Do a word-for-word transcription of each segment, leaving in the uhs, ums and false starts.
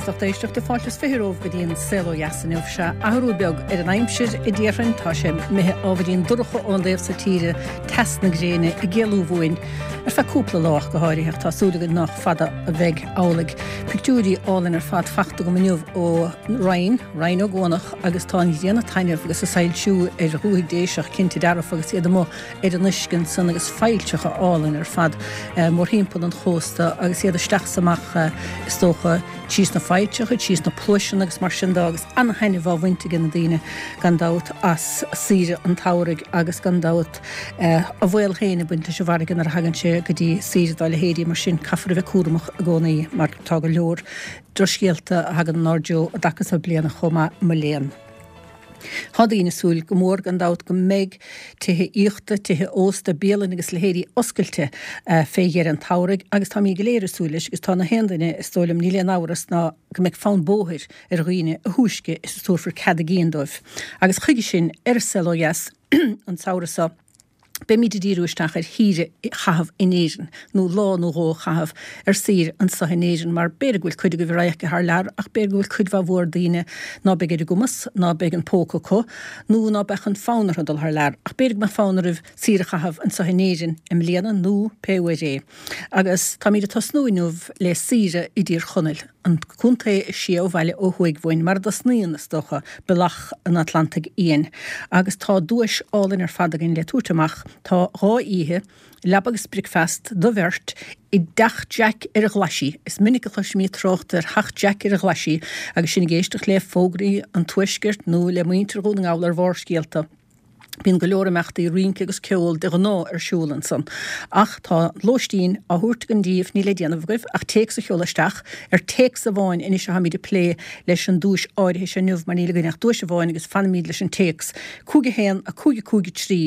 Agus lucht éisteachta fáilte is fiche romhaibh go dtí an Saol Ó Dheas inniu. Sea, athrú beag ar an aimsir a déarfainn, tá sé imithe ábhairín dorcha ón dtaobh so tíre, teas na gréine ag éalú uainn ar feadh cúpla lá ach go háirithe, ach tá súil againn nach fada a bheidh amhlaidh. Pictiúirí álainn ar fad fachta agam inniu ó Rinn, Rinn Ó gCuanach agus tá an ghrian ag taitneamh agus ag soilsiú ar dhúthaigh Déiseach cinnte dearfa agus iad amuigh ar an uisce ansan agus failltreacha álainn ar fad mórthimpeall an chósta agus iad isteach 's amach is dócha trí sna failltreacha, trí sna pluaiseanna agus mar sin de agus an-thaitneamh á bhaint ag na daoine gan dabht as saoire an tsamhraidh agus gan dabht a bhaol féin ag baint leis an bhfarraige nuair a thagann sé go dtí saoire dá leithéidí mar sin caithfear a bheith cúramach i gcónaí mar tá go leor drochscéalta a thagann inár dtreo i dtaca so bliana chomh maith mo léan. Tá daoine ag súil go mór gan dabht go mbeidh tithe aíochta, tithe ósta, bialanna agus leithéidí oscailte fé dheireadh an tsamhraidh agus táimid go léir ag súil leis agus tá na haon duine is dóigh liom níl aon amhras ná go mbeidh fonn bóthair ar dhaoine a thúisce is a tabharfar cead a gcinn dóibh. Agus chuige sin ar An Saol Ó Dheas an samhradh seo, Beimid ag díriú isteach ar shaoire a chaitheamh in Éirinn, nó lá nó dhó a chaitheamh ar saoire anseo in Éirinn, mar b'fhéidir go bhfuil cuid agaibh ar imirce thar lear, ach b'fhéidir go bhfuil cuid mhaith mhór daoine ná beidh ar a gcumas, ná beidh an póca acu, nó ná beadh an fonn orthu dul thar lear, ach b'fhéidir go mbeadh fonn oraibh saoire a chaitheamh anseo in Éirinn i mbliana, nó pé uair é. Agus táimid ag tosnú inniu le saoire i dTír Chonaill. an contae is sia ó bhaile ó thuaidh uainn, mar a dtosnaíonn, is dócha, Bealach an Atlantaigh Fhiáin. Agus tá duais álainn ar fad againn le tabhairt amach. Tá dhá oíche, leaba agus bricfeast do bheirt, i dTeach Jack ar an Ghlaisigh. Is minic a chloisimid trácht ar Theach Jack ar an Ghlaisigh agus sinn ag éisteacht le fógraí an Tuaiscirt nó le muintir Dhún na nGall ar Bharrscéalta. Bíonn go leor imeachtaí rince agus ceol de ghnáth ar siúl ansan. Ach tá lóistín á thabhairt againn díbh, níl le déanamh agaibh ach téacs a sheoladh isteach. Ar téacs amháin anois atáimid ag plé leis an duais áirithe seo inniu mar níl againn ach duais amháin agus fanfaimid leis an téacs. Cúig a haon, a cúig a cúig a trí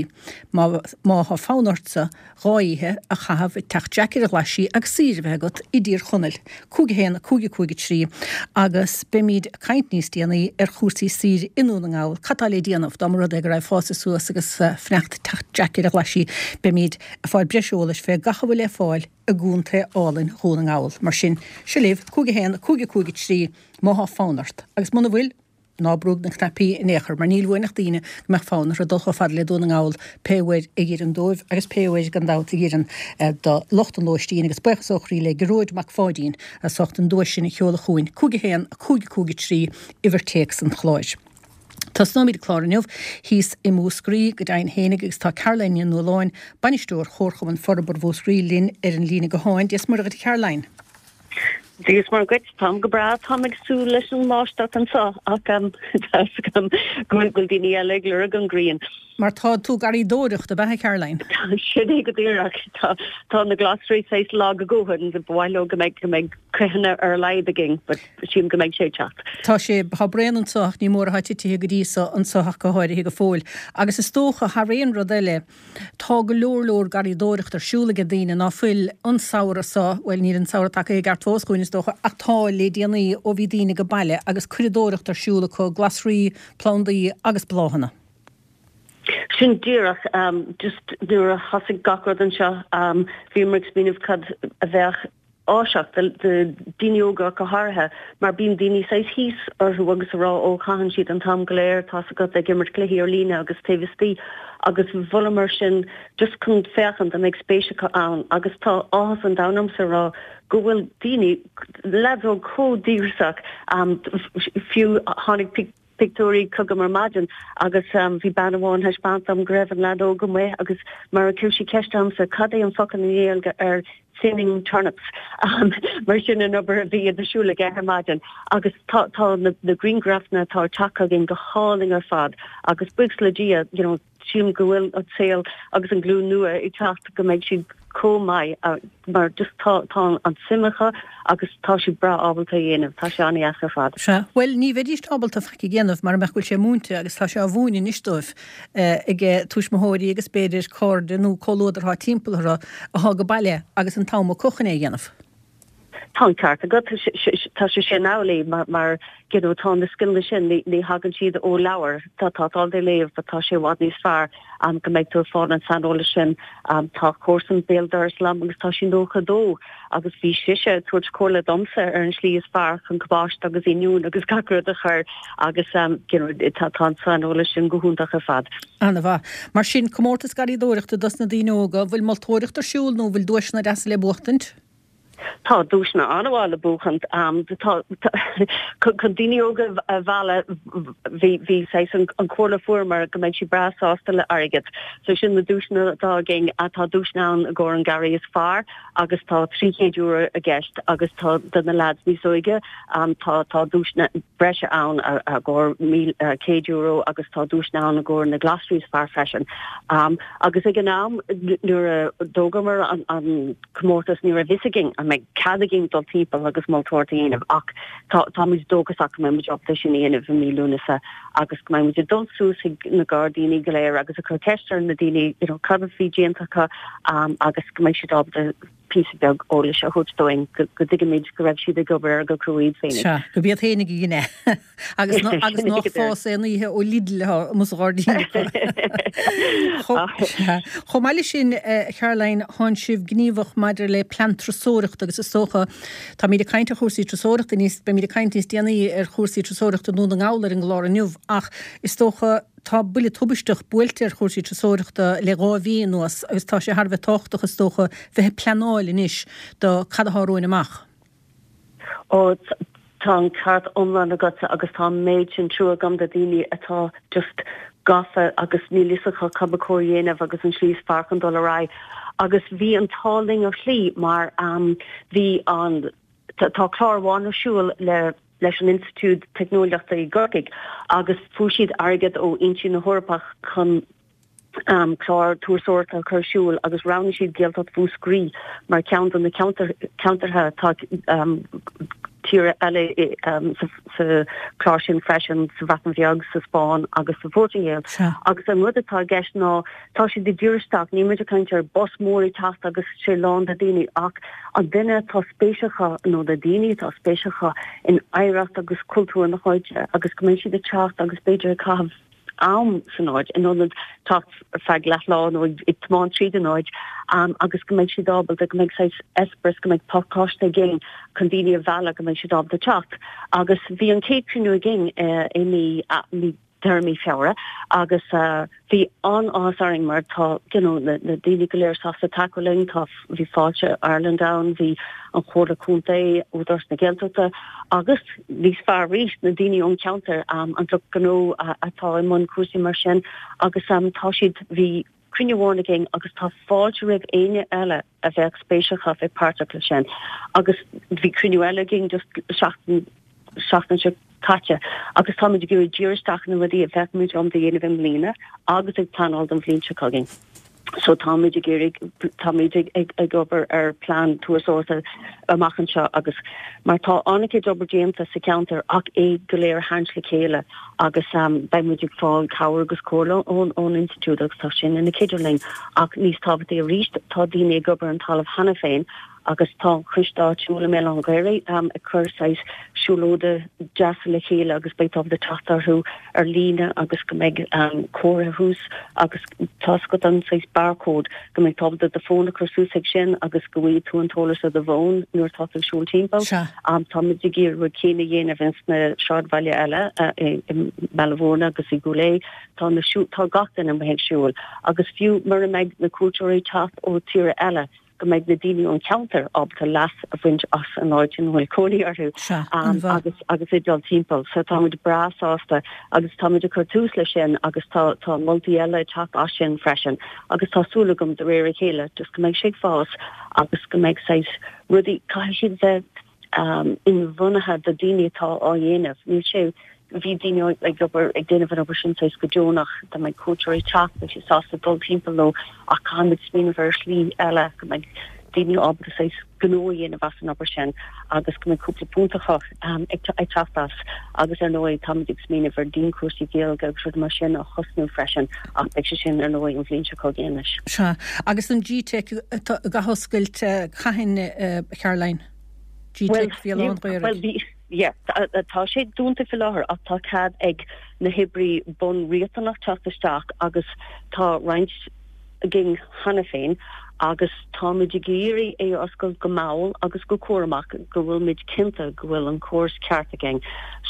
má má thá fonn ortsa dhá oíche a chaitheamh i dTeach Jack ar an Ghlaisigh agus saoire a bheith agat i dTír Chonaill. Cúig a haon, a cúig a cúig a trí Agus beimid ag caint níos déanaí ar chúrsaí saoire i nDún na nGall. Cad tá le déanamh dá mba rud é go raibh fásta suas agus fanacht Teach Jack ar an Ghlaisigh? Beimid ag fáil breis eolais fé gach a bhfuil le fáil i gcontae álainn Dhún na nGall. Mar sin, seo libh, cúig a haon, a cúig a cúig a trí má thá fonn ort. Agus muna bhfuil? Ná brúigh na cnaipí in aon chor, mar níl uainn ach daoine go mbeadh fonn orthu dul chomh fada le Dún na nGall pé uair a dh'oireann dóibh agus pé uair, gan dabht, a dh'oireann do lucht an lóistín. Agus buíochas ó chroí le Gearóid Mac Pháidín as ucht an duais sin a sheoladh chugainn, cúig a haon, a cúig a cúig a trí, uimhir téacs an chláir. Tosnóimid an clár inniu thíos i Múscraí, go deimhin fhéinig, agus tá Caroline Ní Nualláin, Bainisteoir Chomharchumann Forbartha Mhúscraí, linn ar an líne gutháin. Dia 's Muire dhuit a Charoline. Dia 's Muire dhuit, táim go breá, táim ag súil leis an mbáisteach anseo ach tá fhios agam go bhfuil daoine eile ag lorg an ghrian. Mar tá tú garraíodóireacht, ab ea, a Charoline? Sin é go díreach. Tá tá na glasraí saghas lag a ndóthain, ba mhaith leo go mbeidh go mbeidh cruithne ar a laghad againn but sílim go mbeidh sé ag teacht. Tá sé, tá braon anseo ach ní mór atá titithe go dtí so anseo ach go háirithe go fóill. Agus is dócha, thar aon rud eile, Tá go leor leor garraíodóireacht ar siúl aige daoine ná fuil an samhradh so, bhuel níl an samhradh tagtha i gceart fós chugainn is dócha, ach tá le déanaí ó bhí daoine age baile agus curadóireacht ar siúl acu, glasraí, plandaí agus bláthanna. Sin díreach, just nuair a thosaigh gach rud anseo, bhíomar ag smaoineamh cad a bheadh áiseach do daoine óga go háirithe mar bíonn daoine saghas thíos orthu agus a rá ó caitheann siad an t-am go léir tá's agat ag imirt cluichí ar líne agus taobh istigh agus mholamar sin just chun féachaint an mbeidh spéis acu ann agus tá áthas an domhain ormsa a rá go bhfuil daoine leaids óg chomh díograiseach fiú tháinig pictiúirí chugam ar maidin agus bhí bean amháin thaispeáint dom go raibh an leaid óg amuigh agus mar a chuir sí ceist ormsa cad é an focal i nGaeilge ar thinning turnips mar sin an obair a bhí ar siúl aige ar maidin agus tá tá na na grianghrafanna atá ag teacht chugainn go hálainn ar fad agus buíochas le Dia you know sílim go bhfuil an saol agus an glúin nua ag teacht go mbeidh siad chomh maith mar just tá tá an suim acu agus tá siad breá ábalta a dhéanamh. Tá sé an-dheas ar fad. Sea. Bhuel, ní bheidíst ábalta faic a dhéanamh mara mbeadh go bhfuil sé múinte agus tá sé á mhúineadh anois dóibh ag tuismitheoirí agus b'fhéidir cairde nó comhluadar atá timpeall orthu atá age baile agus an t-am acu chun é a dhéanamh. Tá an ceart agat tá sé sin amhlaidh mar mar you know, tá na scileanna sin ní, ní thagann siad ó leabhar tá tá tá de léamh tá sé i bhfad níos fearr um, go mbeidh tú fáil an saineolas sin um, tá comharsan béal dorais liom agus tá sí nócha dó agus bhí sise ag tabhairt comhairle domsa ar an slí is fearr chun cabáiste agus oinniún agus gach rud a chur agus um, you know, tá tá an saineolas sin go hiontach ar fad. An-mhaith. Mar sin comórtas garraíodóireachta dos na daoine óga, bhfuil moltóireacht ar siúl nó bhfuil duaiseanna deasa le buachtaint? Tá duaiseanna an-mhaith le buachan um, chun daoine óga a mhealladh bhí bhí an, an chomhairle fuaireamar go mbeidh siad breá sásta le airgead. So sin na duaiseanna atá againn atá duaiseanna ann i gcomhair an garraí is fearr agus tá trí chéad euro i gceist agus tá do na lads níos óige um, tá tá duaiseanna breise ann i gcomhair uh, céad euro agus tá duaiseanna ann i gcomhair na glasraí is fearr freisin. Um, agus ag an am nuair a d'fhógamar an, an comórtas ní raibh fhios againn an mbeidh cead againn dul timpeall agus moltóireacht a dhéanamh ach táimid dóchasach go mbeidh muid ábalta sin a dhéanamh i mí Lúnasa agus go mbeidh muid ag dul suas ag na gairdíní go léir agus ag cur ceist ar na daoine you know, cad a bhí déanta acu um, agus go mbeidh siad ábalta píosa beag eolais a thabhairt dúinn go dtuigimid go raibh siad ag obair ar go cruaidh féin. Sea, go b'iad féin a dhein é. Agus agus nach fás aon oíche ó Lidl amuigh sa ghairdín. Chomh maith leis sin Caroline tánn sibh gníomhach maidir le plean turasóireachta agus is dócha táimid ag caint ar chúrsaí turasóireachta níos beimid ag caint níos déanaí ar chúrsaí turasóireachta i nDún na nGall ar an gclár inniu ach is dócha tá buille tubaisteach buailte ar chúrsaí turasóireachta le dhá mhí anuas agus tá sé thar a bheith tábhachtach is dócha bheith ag pleanáil anois do cad atá romhainn amach. Ó tá an ceart iomlán agat agus tá méid sin trua agam do daoine atá just gafa agus níl fhios acu cad ba chóir dhéanamh agus an slí is fearr chun dul ar aghaidh. Agus bhí an t-ádh linn ar shlí mar um, bhí an tá clár amháin ar siúl le leis an Institiúid Teicneolaíochta i gCorcaigh agus fuair siad airgead ó Fhoinsí na hEorpa chun um, clár turasóireachta a chur ar siúl agus roghnaigh siad Gaeltacht Mhúscraí mar ceann de na ceantartha tá um, tíortha eile um, sa, sa chlár sin freisin sa Bhreatain Bheag, sa Spáinn agus sa Phortaingéil. Agus an rud atá i gceist ná tá siad ag díriú isteach, níl muid ag caint ar bus mór ag teacht agus sé lán de daoine ach an duine atá spéis acu nó na daoine atá spéis acu in oidhreacht agus cultúr na háite agus go mbeidh siad ag teacht agus b'fhéidir ag caitheamh am san áit in ionad teacht ar feadh leathlá nó ag tiomáint tríd an áit um, agus go mbeidh siad ábalta go mbeidh saghas eispéireas go mbeidh pacáiste againn chun daoine a mhealladh go mbeidh siad ábalta teacht. Agus bhí an chéad chruinniú againn uh, i mí uh, mí deireadh mí Feabhra agus uh, bhí an-áthas orainn mar tá you know, na, na daoine go léir sásta tacú linn tá bhí Fáilte Ireland ann, bhí an Chomhairle Contae Údarás na Gaeltachta agus níos fearr arís na daoine ón cheantar um, an lucht gnó atá i mbun cúrsaí mar sin agus um, tá siad bhí cruinniú amháin againn agus tá fáilte roimh éinne eile a bheadh spéis acu bheith páirteach leis sin agus bhí cruinniú eile againn just seachtain seachtain seo caite agus táimid ag iarraidh díriú isteach na rudaí a bheadh muid ábalta a dhéanamh i mbliana agus ag pleanáil don bhliain seo chugainn. So táimid ag iarraidh táimid ag, ag, ag obair ar plean turasóireachta amach anseo agus mar tá an-chuid obair déanta sa cheantar ach é go léir a tharraingt le chéile agus um, beidh muid ag fáil cabhair agus comhairle ón ón institiúid agus tá sin ina chuidiú linn ach níos tábhachtaí arís tá daoine ag obair an talamh cheana féin agus tá an coiste áitiúil i mBéal Átha an Ghaorthaidh um, ag cur saghas siúlóide deasa le chéile agus beidh tú ábalta teacht orthu ar líne agus go mbeidh um, comhartha thuas agus tá agat an saghas barcode go mbeidh tú ábalta do fón a chur suas ag sin agus go bhfaighidh tú an t-eolas ar do bhfón nuair atá tú ag siúl timpeall. Sea. Um, táimid ag iarraidh rud céanna a dhéanamh ins na sráidbhaile eile uh, i, i mBaile Mhúirne agus i gCúil Aodha tá na siú, tá gach duine amuigh ag siúl agus fiú mura mbeidh na cuairteoirí ag teacht ó tíortha eile go mbeidh na daoine ón cheantar ábalta leas a bhaint as an áit ina bhfuil cónaí orthu Sea, um, an-mhaith. agus agus ag dul timpeall. So táimid breá sásta agus táimid ag cur tús leis sin agus tá tá moltaí eile ag teacht as sin freisin agus tá súil agam de réir a chéile just go mbeidh sé ag fás agus go mbeidh saghas rudaí caithfidh siad bheith um, inbhuanaithe do daoine atá á dhéanamh. Níl sé bhí daoine ag obair ag déanamh an obair sin saghas go deonach dá mbeidh cuairteoirí ag teacht beidh siad sásta dul timpeall leo ach caithfimid smaoineamh ar shlí eile go mbeidh daoine ábalta saghas gnó a dhéanamh as an obair sin agus go mbeidh cúpla punt acu um, ag ag teacht as agus ar ndóigh táimid ag smaoineamh ar dianchúrsaí Gaeilge agus rudaí mar sin a thosnú freisin ach beidh sé sin ar ndóigh an bhliain seo chugainn anois. Sea, agus an G-Teic ag athoscailt cathain uh, Caroline? G-Teic Bhéal Átha an Ghaorthaidh. Bhuel, yeah, tá sé dúnta faoi láthair ach tá cead ag na hoibrí bunriachtanach teacht isteach agus tá roinnt againn cheana féin agus táimid ag iarraidh é a oscailt go mall agus go cúramach go bhfuilmid cinnte go bhfuil an córas ceart againn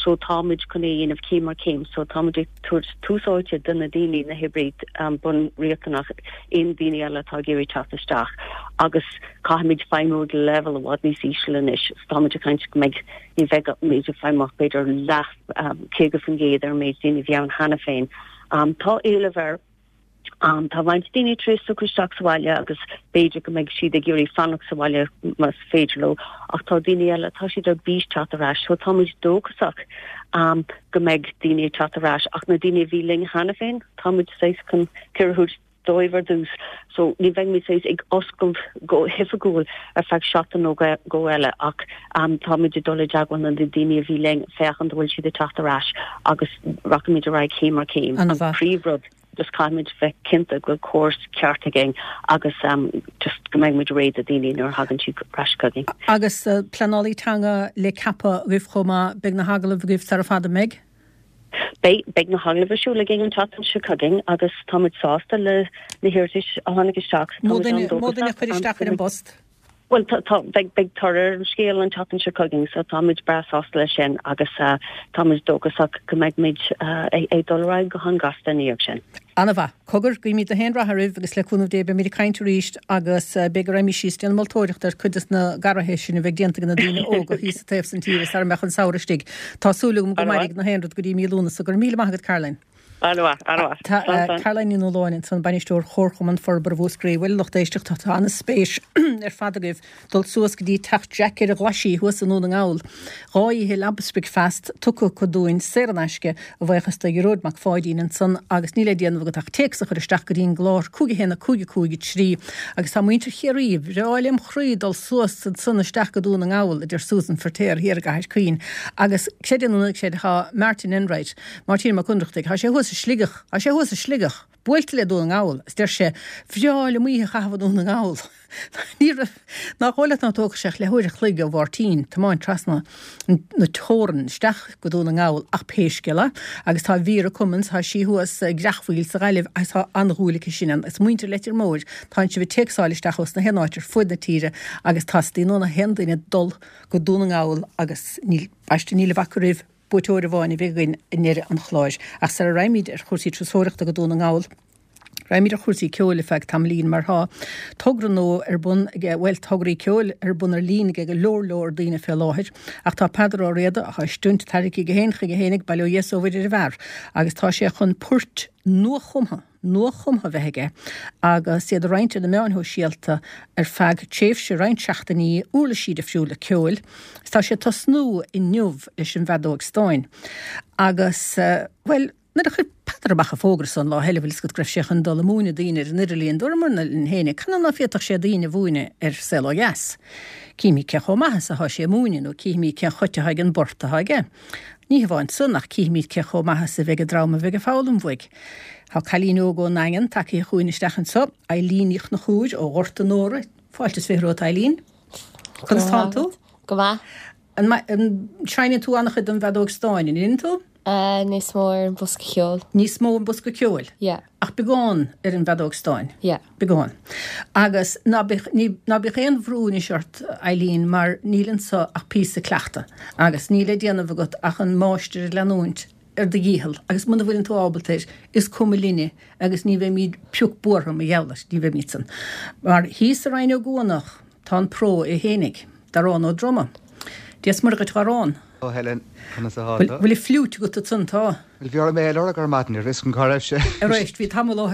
so táimid chun é a dhéanamh céim ar chéim so táimid ag tabhairt tús áite do na daoine, na hoibrí bunriachtanach, aon daoine eile atá ag iarraidh teacht isteach agus caithfimid feidhmiú ag leibhéal i bhfad níos ísle anois so táimid ag caint go mbeidh, ní bheidh muid ag feidhmiú ach b'fhéidir leath, caoga faoin gcéad ar an méid daoine a bhí ann cheana féin. Tá éileamh air. Tá roinnt daoine tar éis socrú isteach sa bhaile agus b'fhéidir go mbeidh siad ag iarraidh fanacht sa bhaile más féidir leo ach tá daoine eile, tá siad ar bís teacht ar ais so táimid dóchasach go mbeidh daoine ag teacht ar ais ach na daoine a bhí linn cheana féin, táimid saghas chun cur a thabhairt dóibh ar dtús so ní bheidh muid saghas ag oscailt go hoifigiúil ar feadh seachtain nó dhó eile ach táimid ag dul i dteagmháil le na daoine a bhí linn féachaint an bhfuil siad ag teacht ar ais agus rachaimid ar aghaidh céim ar chéim. An príomhrud. just caithfimid bheith cinnte go bhfuil córas ceart againn agus just go mbeidh muid réidh do daoine nuair a thagann siad ar ais chugainn. Agus pleanálaí teanga le ceapadh agaibh chomh maith, beidh na hagallaimh agaibh sara fada, an mbeidh? Beidh, beidh na hagallaimh ar siúl againn an tseachtain seo chugainn agus táimid sásta le na hiarratais a tháinig isteach. Mó duine, mó duine a chuir isteach ar an bpost? Bhuel, tá, tá, beidh, beidh toradh ar an scéal an tseachtain seo chugainn, so táimid breá sásta leis sin agus táimid dóchasach go mbeidh muid ag dul ar aghaidh go han-ghasta ina dhiaidh sin. Ana-mhaith. Cogar, guímid gach aon rath oraibh agus le cúnamh Dé beimid ag caint arís agus b'fhéidir go raghaimid síos déanamh moltóireachta ar cuid des na garraithe sin a bheidh déanta ag na daoine óga thíos sa taobh san tíre sara mbeadh an samhradh istigh. Tá súil agam go mairfidh na haon rud go dtí mí Lúnasa. Go raibh míle maith agat Caroline. An-mhaith, an-mhaith. Tá Caroline Ní Nualláin ansan, Bainisteoir Chomharchumann Forbartha Mhúscraí. Bhuel, a lucht éisteachta, tá an-spéis ar fad agaibh dul suas go dtí teach Jack ar an Ghlaisigh thuas i nDún na nGall. Dhá oíche leaba 's bricfeast tugtha acu dúinn saor in aisce, a bhuíochas do Ghearóid Mac Pháidín ansan agus níl le déanamh agat ach téacs a chur isteach go dtí an gclár cúig a haon a cúig a cúig a trí agus tá muintir Chiarraí, bhreá lem chroí dul suas ansan isteach go Dún na nGall, a deir Susan Feirtéar thiar i gCathair Chaoin agus creid é nó ná creid tá Martin Enright, Máirtín Mac Ionnrachtaigh, tá sé thuas i Sligeach, tá sé thuas i Sligeach, buailte le Dún na nGall, is deir sé, bhreá liom oíche a chaitheamh i nDún na nGall. Ní raibh, nach dóigh leat ná tógfadh sé ach leathuair a chloig ó Mháirtín tiomáint trasna na teorann isteach go Dún na nGall ach pé scéal é. Agus tá Vera Cummins, tá sí thuas i gCreachmhaoil sa Ghaillimh agus tá an-dhúil aici sin ann. Is muintir Leitir Móir, tánn sibh ag téacsáil isteach ós na haon áit ar fuaid na tíre agus teastaíonn ó na haon duine dul go Dún na nGall agus níl, baiste, níl a bhac oraibh. Buaiteoir amháin a bheidh againn i ndeireadh an chláir. Ach sara raghaimid ar chúrsaí turasóireachta go Dún na nGall, raghaimid ar chúrsaí ceoil ar feadh tamaillín mar tá togra nua ar bun ag, bhuel, tograí ceoil ar bun ar líne ag go leor leor daoine fé láthair. Ach tá Peadar Ó Riada, atá ag tarraingt chuige féin chuige fhéinig, bail ó Dhia 's ó Mhuire ar an bhfear, agus tá sé chun poirt nuachumtha, nuachumtha a bheith aige agus iad a roinnt ar na meáin shóisialta ar feadh tréimhse roinnt seachtainí, uirlisí difriúla ceoil. Is tá sé ag tosnú inniu leis an bhfeadóig stáin. Agus, bhuel, nuair a chuir Peadar amach an fógra san lá eile, bhfuil fhios agat go raibh sé chun dul ag múineadh daoine ar an idirlíon, dúramar linn fhéinig, canathaobh ná féadfadh sé daoine a mhúineadh ar Saol Ó Dheas? Cífimid cé chomh maith is atá sé ag múineadh nó cífimid cén chaoi atá ag an bport atá aige. Ní hamháin san ach cífimid cé chomh maith is a bheidh an dream a bheidh ag foghlaim uaidh. Tá cailín óg ón nDaingean tagtha chugainn isteach anseo, Eileen Ní Chonchúir ó Ghort an Óraigh. Fáilte is fiche romhat, Eileen. Conas tánn tú? Go maith. An seinneann tú an-chuid den bhfeadóg stáin, an ndeineann tú? Níos mó ar an bhosca ceoil. Níos mó an bosca ceoil? Yeah. Ach beagán ar an bhfeadóg stáin? Yeah. Beagán. Agus ná bíodh, ní, ná bíodh aon bhrú anois ort, Eileen, mar níl anso ach píosa cleachta agus níl le déanamh agat ach an máistir a leanúint ar do dhícheall agus muna bhfuileann tú ábalta air, is cuma linne agus ní bheimid pioc buartha mar gheall air, ní bheimid san. Mar thíos i Rinn Ó gCuanach tá an pró é fhéinig, Darán Ó Droma. Dia 's Muire dhuit a Dharán. Ó Helen, conas atá tú? Bhfuil an fliúit agat ansan? Tá. Bhuel, bhí orm é a lorg ar maidin, ní raibh fhios agam cá raibh sé. Arís, bhí tamall ó,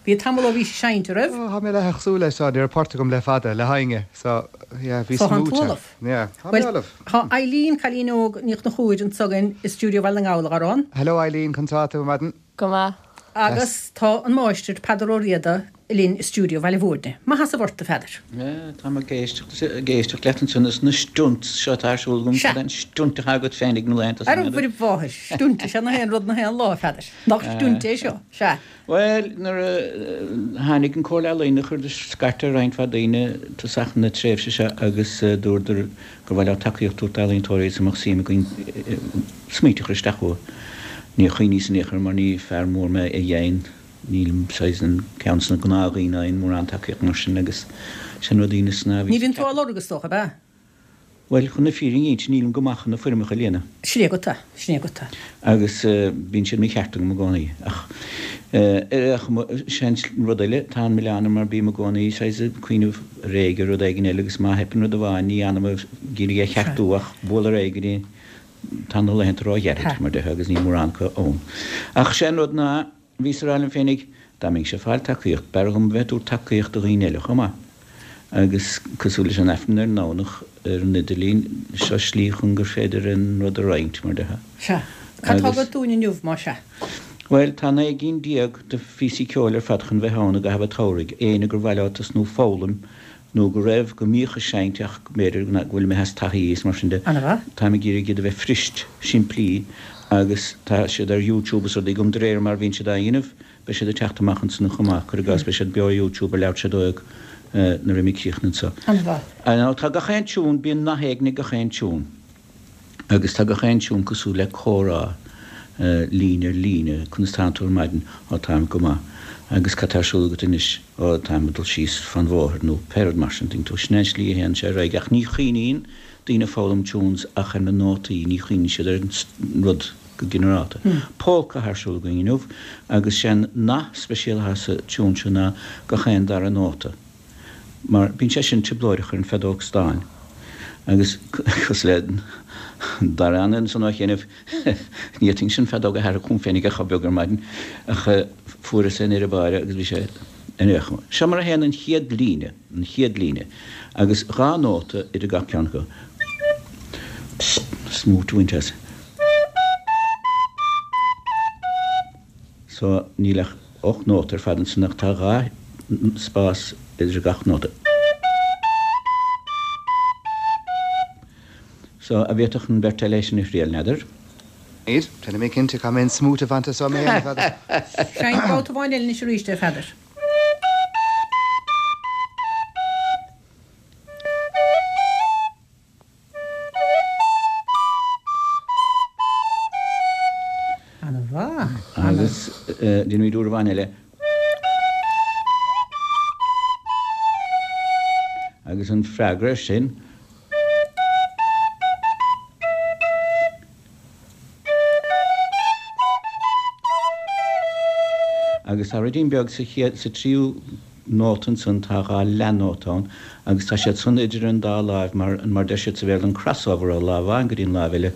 bhí tamall ó bhí sé seinnte, raibh? Ó, tá mé leath ag súil leis seo, ní raibh port agam le fada, le héinne, so, yeah, bhí So, tá smúit tú ann. ullamh? Yeah, tá mé Bhuel, ullamh. tá Eileen, cailín óg Ní Chonchúir, anso againn i stiúideo Bhaile na nGall, a Dharán. Hello Eileen, conas atá tú ar maidin? Go maith. Agus tá an máistir, Peadar Ó Riada, linn i stiúideo Bhaile Bhúirne. Maith sheasamh ort, a Pheadair. Tá mé ag éisteacht leat ansan is na stunts seo atá ar siúl agam, Sea. Cad é an stunt atá agat féinig na laethanta Ar san Mhuire Mháthair, stunt is ea nach aon rud nach aon lá, a Pheadair. Nach stunt é seo? Sea. Bhuel, nuair a tháinig an Comhairle Ealaíon chuireadar scairt ar roinnt mhaith daoine tosach na tréimhse seo agus dúradar gur mhaith leo tacaíocht a thabhairt d'ealaíontóirí agus a mbeadh suim againn smaointe a chur isteach chucu. Níor chuimhníos in aon chor mar ní fear mór mé a dhéan, nílim saghas an ceann de na gnáthdhaoine a fhaigheann mórán tacaíocht mar sin agus sin rud ionas ná Ní bhíonn tú á lorg is dócha, ab ea? Bhuel, chun na fírinne a inse, nílim go maith chun na foirmeacha a líonadh. Sin é agat é, sin é agat é. Agus bíonn siad mícheart agam i gcónaí. Ach ar aon chuma, sin rud eile, tá an milleán orm mar bím i gcónaí saghas ag cuimhneamh ar aghaidh ar rud éigin eile agus má theipeann rud amháin ní fhanaim ag iarraidh é a cheartú ach bualadh ar aghaidh go dtí tá na laethanta róghairid, mar déarfá, agus níl mórán acu ann. Ach sé an rud ná, bhíos ag rá liom féinig, dá mbeinnse ag fáil tacaíocht, b'fhearr dhom bheith ag tabhairt tacaíocht do dhaoine eile chomh maith. Agus cosúil leis an Aifreann ar an nDomhnach ar an idirlíon, seo slí chun gur féidir an rud a roinnt, mar déarfá. Sea. Cad tá agat dúinn inniu, más ea? Bhuel, tá naoi gcinn déag de phíosaí ceoil ar fad chun bheith ann i gcaitheamh an tsamhraidh, éinne gur mhaith leo tosnú foghlaim nó go raibh, go mbíodh ag seinnt ach b'fhéidir go bhfuil imithe as taithí is mar sin de. Ana-mhaith. Táim ag iarraidh iad a bheith fuirist, simplí agus tá siad ar YouTube is rudaí agam de réir mar a bhíonn siad á dhéanamh, beidh siad ag teacht amach ansan chomh maith, cuir i gcás, beidh siad beo ar YouTube ar leathuair tar éis a dó dhéag nuair a bheidh mé críochnaithe anseo. An-mhaith. Now tá gach aon tiún, bíonn nath éigin ag gach aon tiún agus tá gach aon tiún cosúil le comhrá, líne ar líne, conas tánn tú ar maidin? Ó táim go maith. Agus cad tá ar siúl agat anois? Ó táim ag dul síos fán bhóthar nó pé rud mar sin, tuigeann tú. Sin é an slí a théann sé ar aghaidh ach ní chuimhníonn daoine ag foghlaim tunes ach ar na nótaí, ní chuimhníonn siad ar an rud go ginearálta. Polca atá ar siúl againn inniu agus sé an nath speisialta atá sa tiún seo ná gach aon dara nóta. Mar bíonn sé sin trioblóideach ar an bhfeadóg stáin. Agus cosúil le Dara ansan ó chianaibh, ní fhéadfainnse an feadóg a thairfeadh chugam féinig ach chomh beag ar maidin, ach fuaireas é in ar báire agus bhí sé in aon chuma. Seo mar a théann an chéad líne, an chéad líne, agus dhá nóta idir gach ceann acu. Smúit a bhaint as. So níl ach ocht nóta ar fad ansin ach tá dhá spás idir gach nóta. So an bhféadfadh an bheirt eile é sin a thriail, n'fheadar? Iad, déanfaidh mé cinnte, caithfidh mé an smúit a bhaint as mé féin, a Pheadair. Seinn babhta amháin eile anois arís é, a Pheadair. Ana-mhaith. Agus déanfaimid uair amháin eile. Agus an freagra air sin. Agus tá ruidín beag sa chéad, sa tríú nóta ansan, tá dhá leathnóta ann agus tá siad san idir an dá láimh mar, mar deir siad sa Bhéarla an crossover ó lámh amháin go dtí an láimh eile,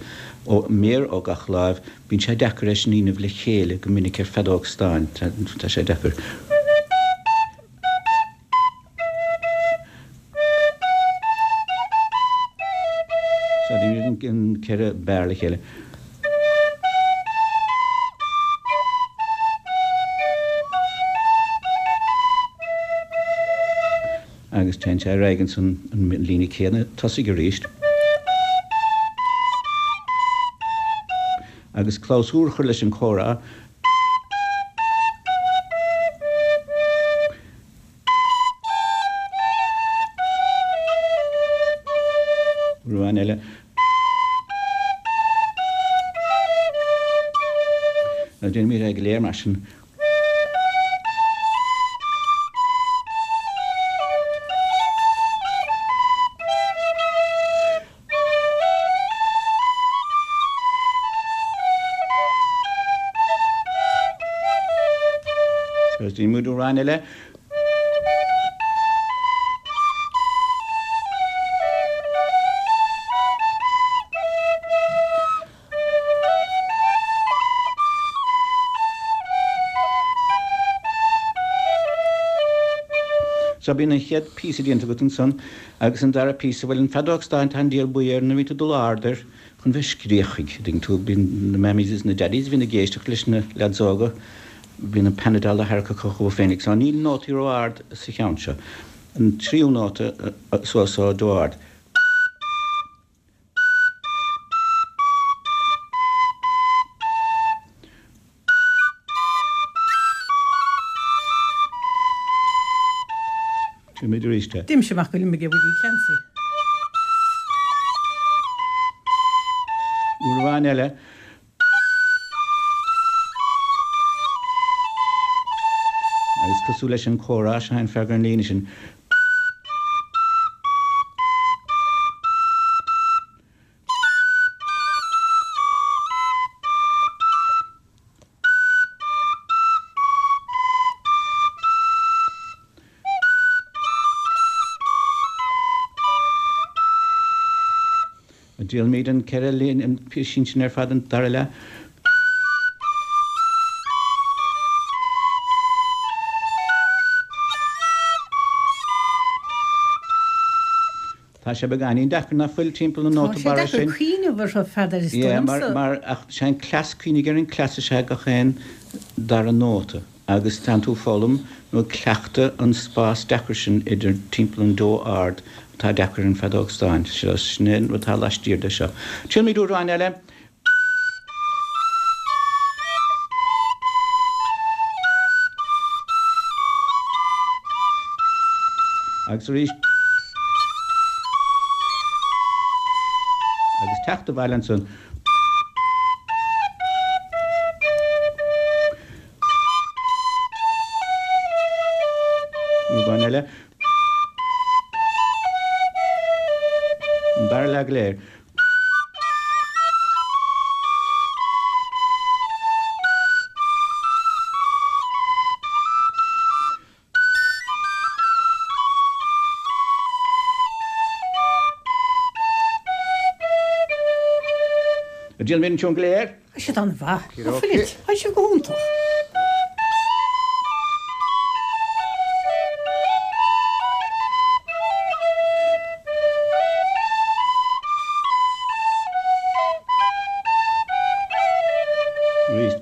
ó méar ó gach láimh, bíonn sé deacair é sin a dhéanamh le chéile go minic ar feadóg stáin, tá, tá sé deacair. So déanfaimid an ceithre barr le chéile. Agus téann sé ar aghaidh ansan an líne céanna tosaigh arís. Agus clabhsúr a chur leis an chomhrá. Uair amháin eile. Now déanfaimid é go léir mar sin. Agus déanfaimid uair amháin eile. So bíonn an chéad píosa déanta agat ansan agus an dara píosa, bhuel an feadóg stáin tá an diabhal buí air nuair a bhíonn tú ag dul ard air chun bheith scréachaigh, an dtuigeann tú, bíonn na mammies is na daddies a bhíonn ag éisteacht leis na leaids óga Bíonn an pan-fhidil á tharrac acu chucu féinig. So níl nótaí ró-ard sa cheann seo. An tríú nóta suas ó do ard. Muid arís é. D'imigh amach go Limerick Willie Clancy. Uair amháin eile. Agus cosúil leis an chomhrá seo an fearr an líne sin. Déanfaimid an ceithre líne an píosín sin ar fad an dara leath. Tá sé beagáinín deacair nach bhfuil timpeall na nóta Tá sé barra deacair sin. cuimhneamh orthu Pheadair is dóigh Yeah, mar, liomsa. mar ach sé an cleas cuimhnigh ar an cleas is ea gach aon dara nóta agus tánn tú ag foghlaim nó ag cleachtadh an spás deacair sin idir timpeall an dó ard atá deacair an feadóg stáin. Seo sin é an rud atá laistiar de seo. Triailfimid uair amháin eile. Agus arís. Agus teacht abhaile ansan. Uair amháin eile. An dara leath go léir. Déanfaimid an tiún go léir. Tá siad an-mhaith. Okey Tá dokey. fuil Tá siad go hiontach. Arís.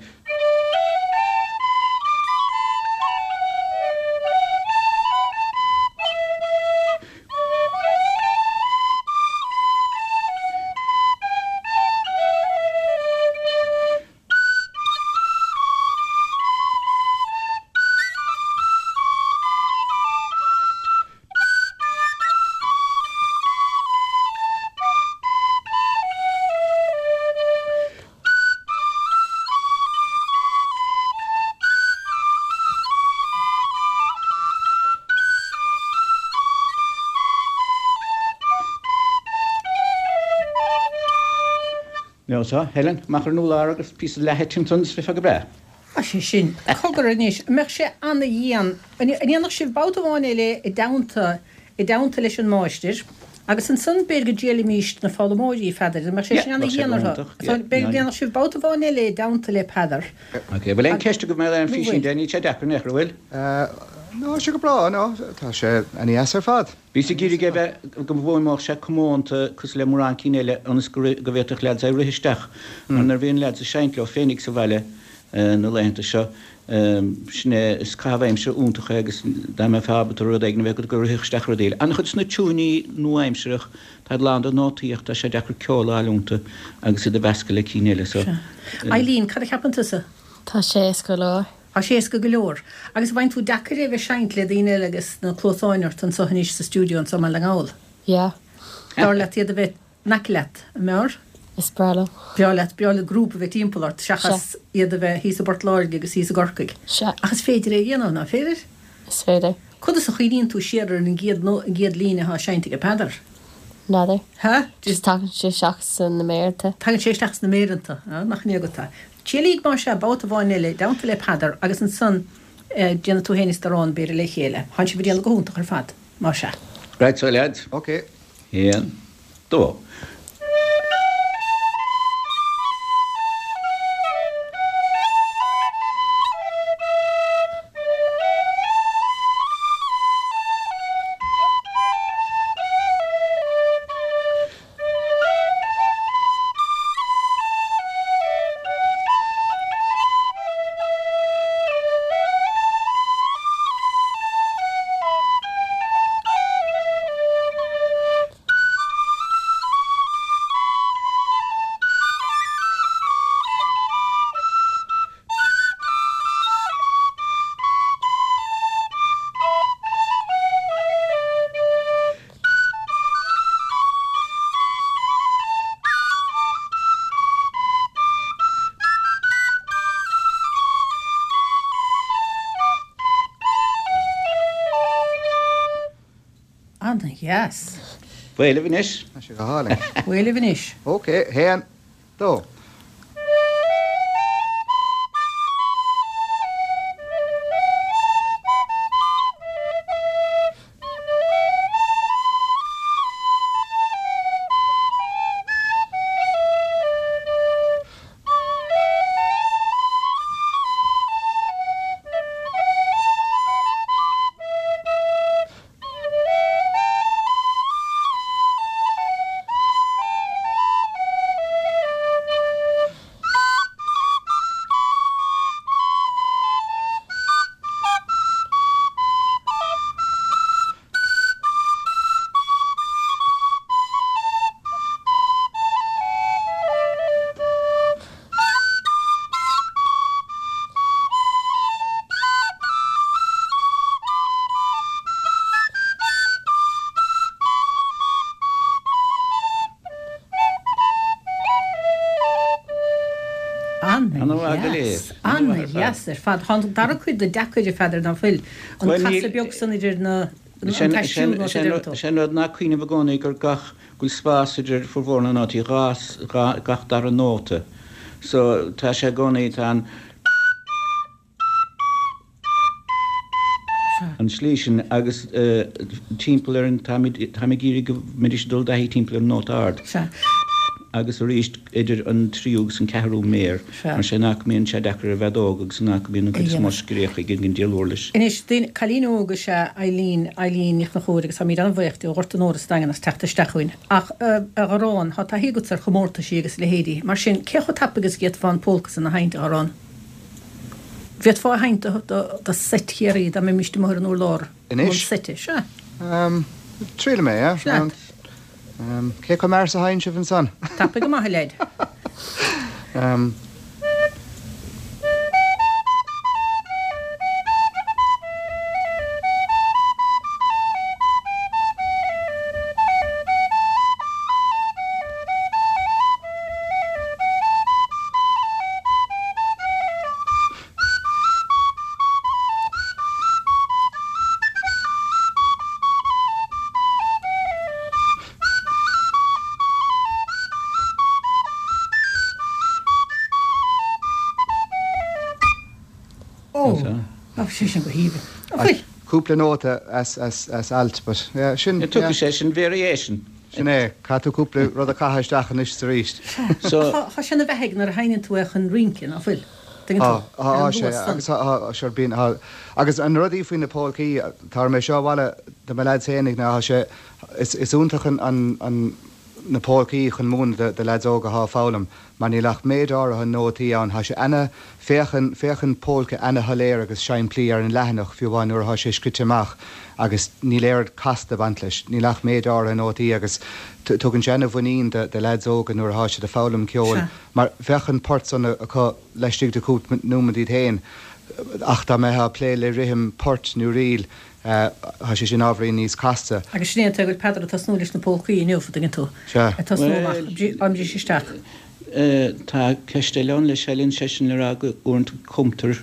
No so, Helen, amach ar an urlár agus píosa leatha timpeall is bheifeá go breá. Tá sé sin. Cogar anois, an mbeadh sé an-dhian. An ndéanfadh sibh babhta amháin eile i dteannta i dteannta leis an máistir, agus ansan b'fhéidir go dtriailfimis na foghlaimeoirí Pheadair, an mbeadh sé sin Yeah, bheadh sé an-dhian go orthu. hiontach, So yeah, b'fhéidir go ndéanfadh sibh babhta amháin eile i dteannta le Peadar. Ok, bhfuil aon ceist agaibh mé an Nó físín bhfuil. de níl sé deacair nach bhfuil? Ná sé go breá ná tá sé an-dheas ar fad. Bhíos ag iarraidh é bheith go bhfuaimneodh sé comónta cosúil le mórán cinn eile ionas go go bhféadfadh leaids é rith isteach. Mar nuair a bhíonn leaids ag seinnt leo féinig sa bhaile na laethanta seo, sin é is caitheamh aimsire iontach é agus dá mbeifeá ábalta rud éigin a bheith agat go rithfeadh isteach rud eile. An-chuid de na tiúiní nua-aimsearach tá lán de nótaí ach tá sé deacair ceol a fháil iontu agus iad a mheascadh le cinn eile so. Eileen, cad a cheapann tusa? Tá sé éasca go leor. Tá sé éasca go leor. Agus bhain tú deacair é bheith seinnt le daoine eile agus na cluasáin ort anseo anois sa stiúideo anseo i mBaile na nGall. Yeah, B'fhearr leat iad a bheith in aice leat, an mb'fhearr? is breá liom. Breá leat breá le grúpa a bheith timpeall ort seachas iad a bheith thíos i bPort Láirge agus thíos i gCorcaigh. Sea, Ach is féidir é a dhéanamh, nach féidir? is féidir. Conas a chuimhníonn tú siar ar an gcéad nó an gcéad líne atá seinnte ag Peadar? N'fheadar. Ha? Just tagann sé isteach sna méireanta. Tagann sé isteach sna méireanta, nach ní agat tá. Triailíg mar sé babhta amháin eile i dteannta le Peadar agus ansan déanfaidh tú féin is Darán b'fhéidir le chéile. Tánn sibh ag déanamh go hiontach ar fad, mar sea. Right so lads. Ok. Haon, dó. Ana-dheas. Bhuel libh anois. Tá sé go hálainn. Bhuel libh anois. Ok, haon, dó. Ana-dheas. Ana-dheas ar fad. Tá an dara cuid de deacair a Pheadair ná fuil? An casadh beag san idir na an t-aistriú nó sa deireadh tú. Sé an rud ná cuimhneamh i gcónaí gur gach go bhfuil spás idir formhór na nótaí dhá gach dara nóta. So tá sé i gcónaí tá an an slí sin agus timpeall ar an táimid ag iarraidh go mbeidís ag dul i dtaithí timpeall ar an nóta ard. Sea. Agus arís idir an tríú agus an ceathrú méar, mar sin nach mbíonn sé deacair ar an bhfeadóg agus nach mbíonn an chuid is mó scréach ag an diabhal uirlis. Anois, duine, cailín óg is ea Eileen, Eileen Ní Chonchúir agus táimid an-bhuíoch di ó Ghort an Óir sa Daingean as teacht isteach chugainn. Ach, a Gharrán, tá taithí agatsa ar chomórtaisí agus a leithéidí. Mar sin, cé chomh tapaidh agus a d'fhéadfá an pólca san a sheinnt, a Gharrán? Bhféadfá a sheinnt do, do, do seit Chiarraí dá mbeimíst amuigh ar an urlár? Anois? An seite, sea. Triailfidh mé, yeah. Sea. Cé chomh mear is a sheinn sibh ansan? Tapaidh go maith, a leaid. Ó, tá sé sin go haoibhinn. An bhfuil? Cúpla nóta as, as, as alt, but yeah, sin, yeah. Tugann sé sin variation. Sin é, caithfidh tú cúpla rud a chaitheamh isteach anois is arís. So. Tá sé ina bheathaidh nuair a sheinneann tú é chun rince, ná fuil? Tuigeann tú? Tá, tá sé, agus tá, sure, bíonn, tá, agus an rudaí faoi na polcaí, tabharfaidh mé seo abhaile do mo leaids fhéinig ná tá sé, is, is iontach an, an, an, na polcaí chun múineadh do leaids óga atá ag foghlaim mar níl ach méid áirithe nótaí ann. Tá sé ana, féachann, féachann pólca ana-shoiléir agus simplí ar an leathanach fiú amháin nuair atá sé scrite amach agus níl oiread casta ag baint leis. Níl ach méid áirithe nótaí agus tugann sé ana-mhuinín do, do leaids óga nuair atá siad ag foghlaim ceoil mar bheadh an port san acu laistigh de chúpla nóiméad iad féin ach dá mbeifeá ag plé le rithim poirt nó ríl Tá sé sin ábhairín níos casta. Agus sin é an tuige go bhfuil Peadar ag tosnú leis na pólcaí inniu, an dtuigeann tú. Sea. Ag tosnú amach, á mbriseadh isteach. Tá ceist eile ann leis, Eileen, sé sin le rá go uaireanta cumtar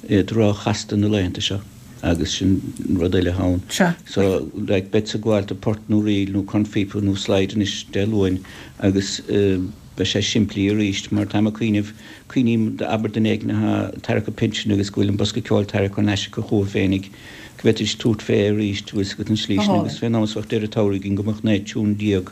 iad ró-chasta na laethanta seo agus sin rud eile ann. Sea. So, like, beadsa ag gabháil do port nó ríl nó cornphíopa nó slide anois Dé Luain agus beidh sé simplí arís mar táim ag cuimhneamh, cuimhním abair duine éigin atá ag tarrac a pinsin agus go bhfuil an bosca ceoil tarrac thar n-ais acu chucu féinig, go bhféadfaidís tabhairt fé arís, bhfuil 'fhios agat an slí sin agus fén am is bheadh deireadh tsamhraidh againn go mbeadh naoi tiún déag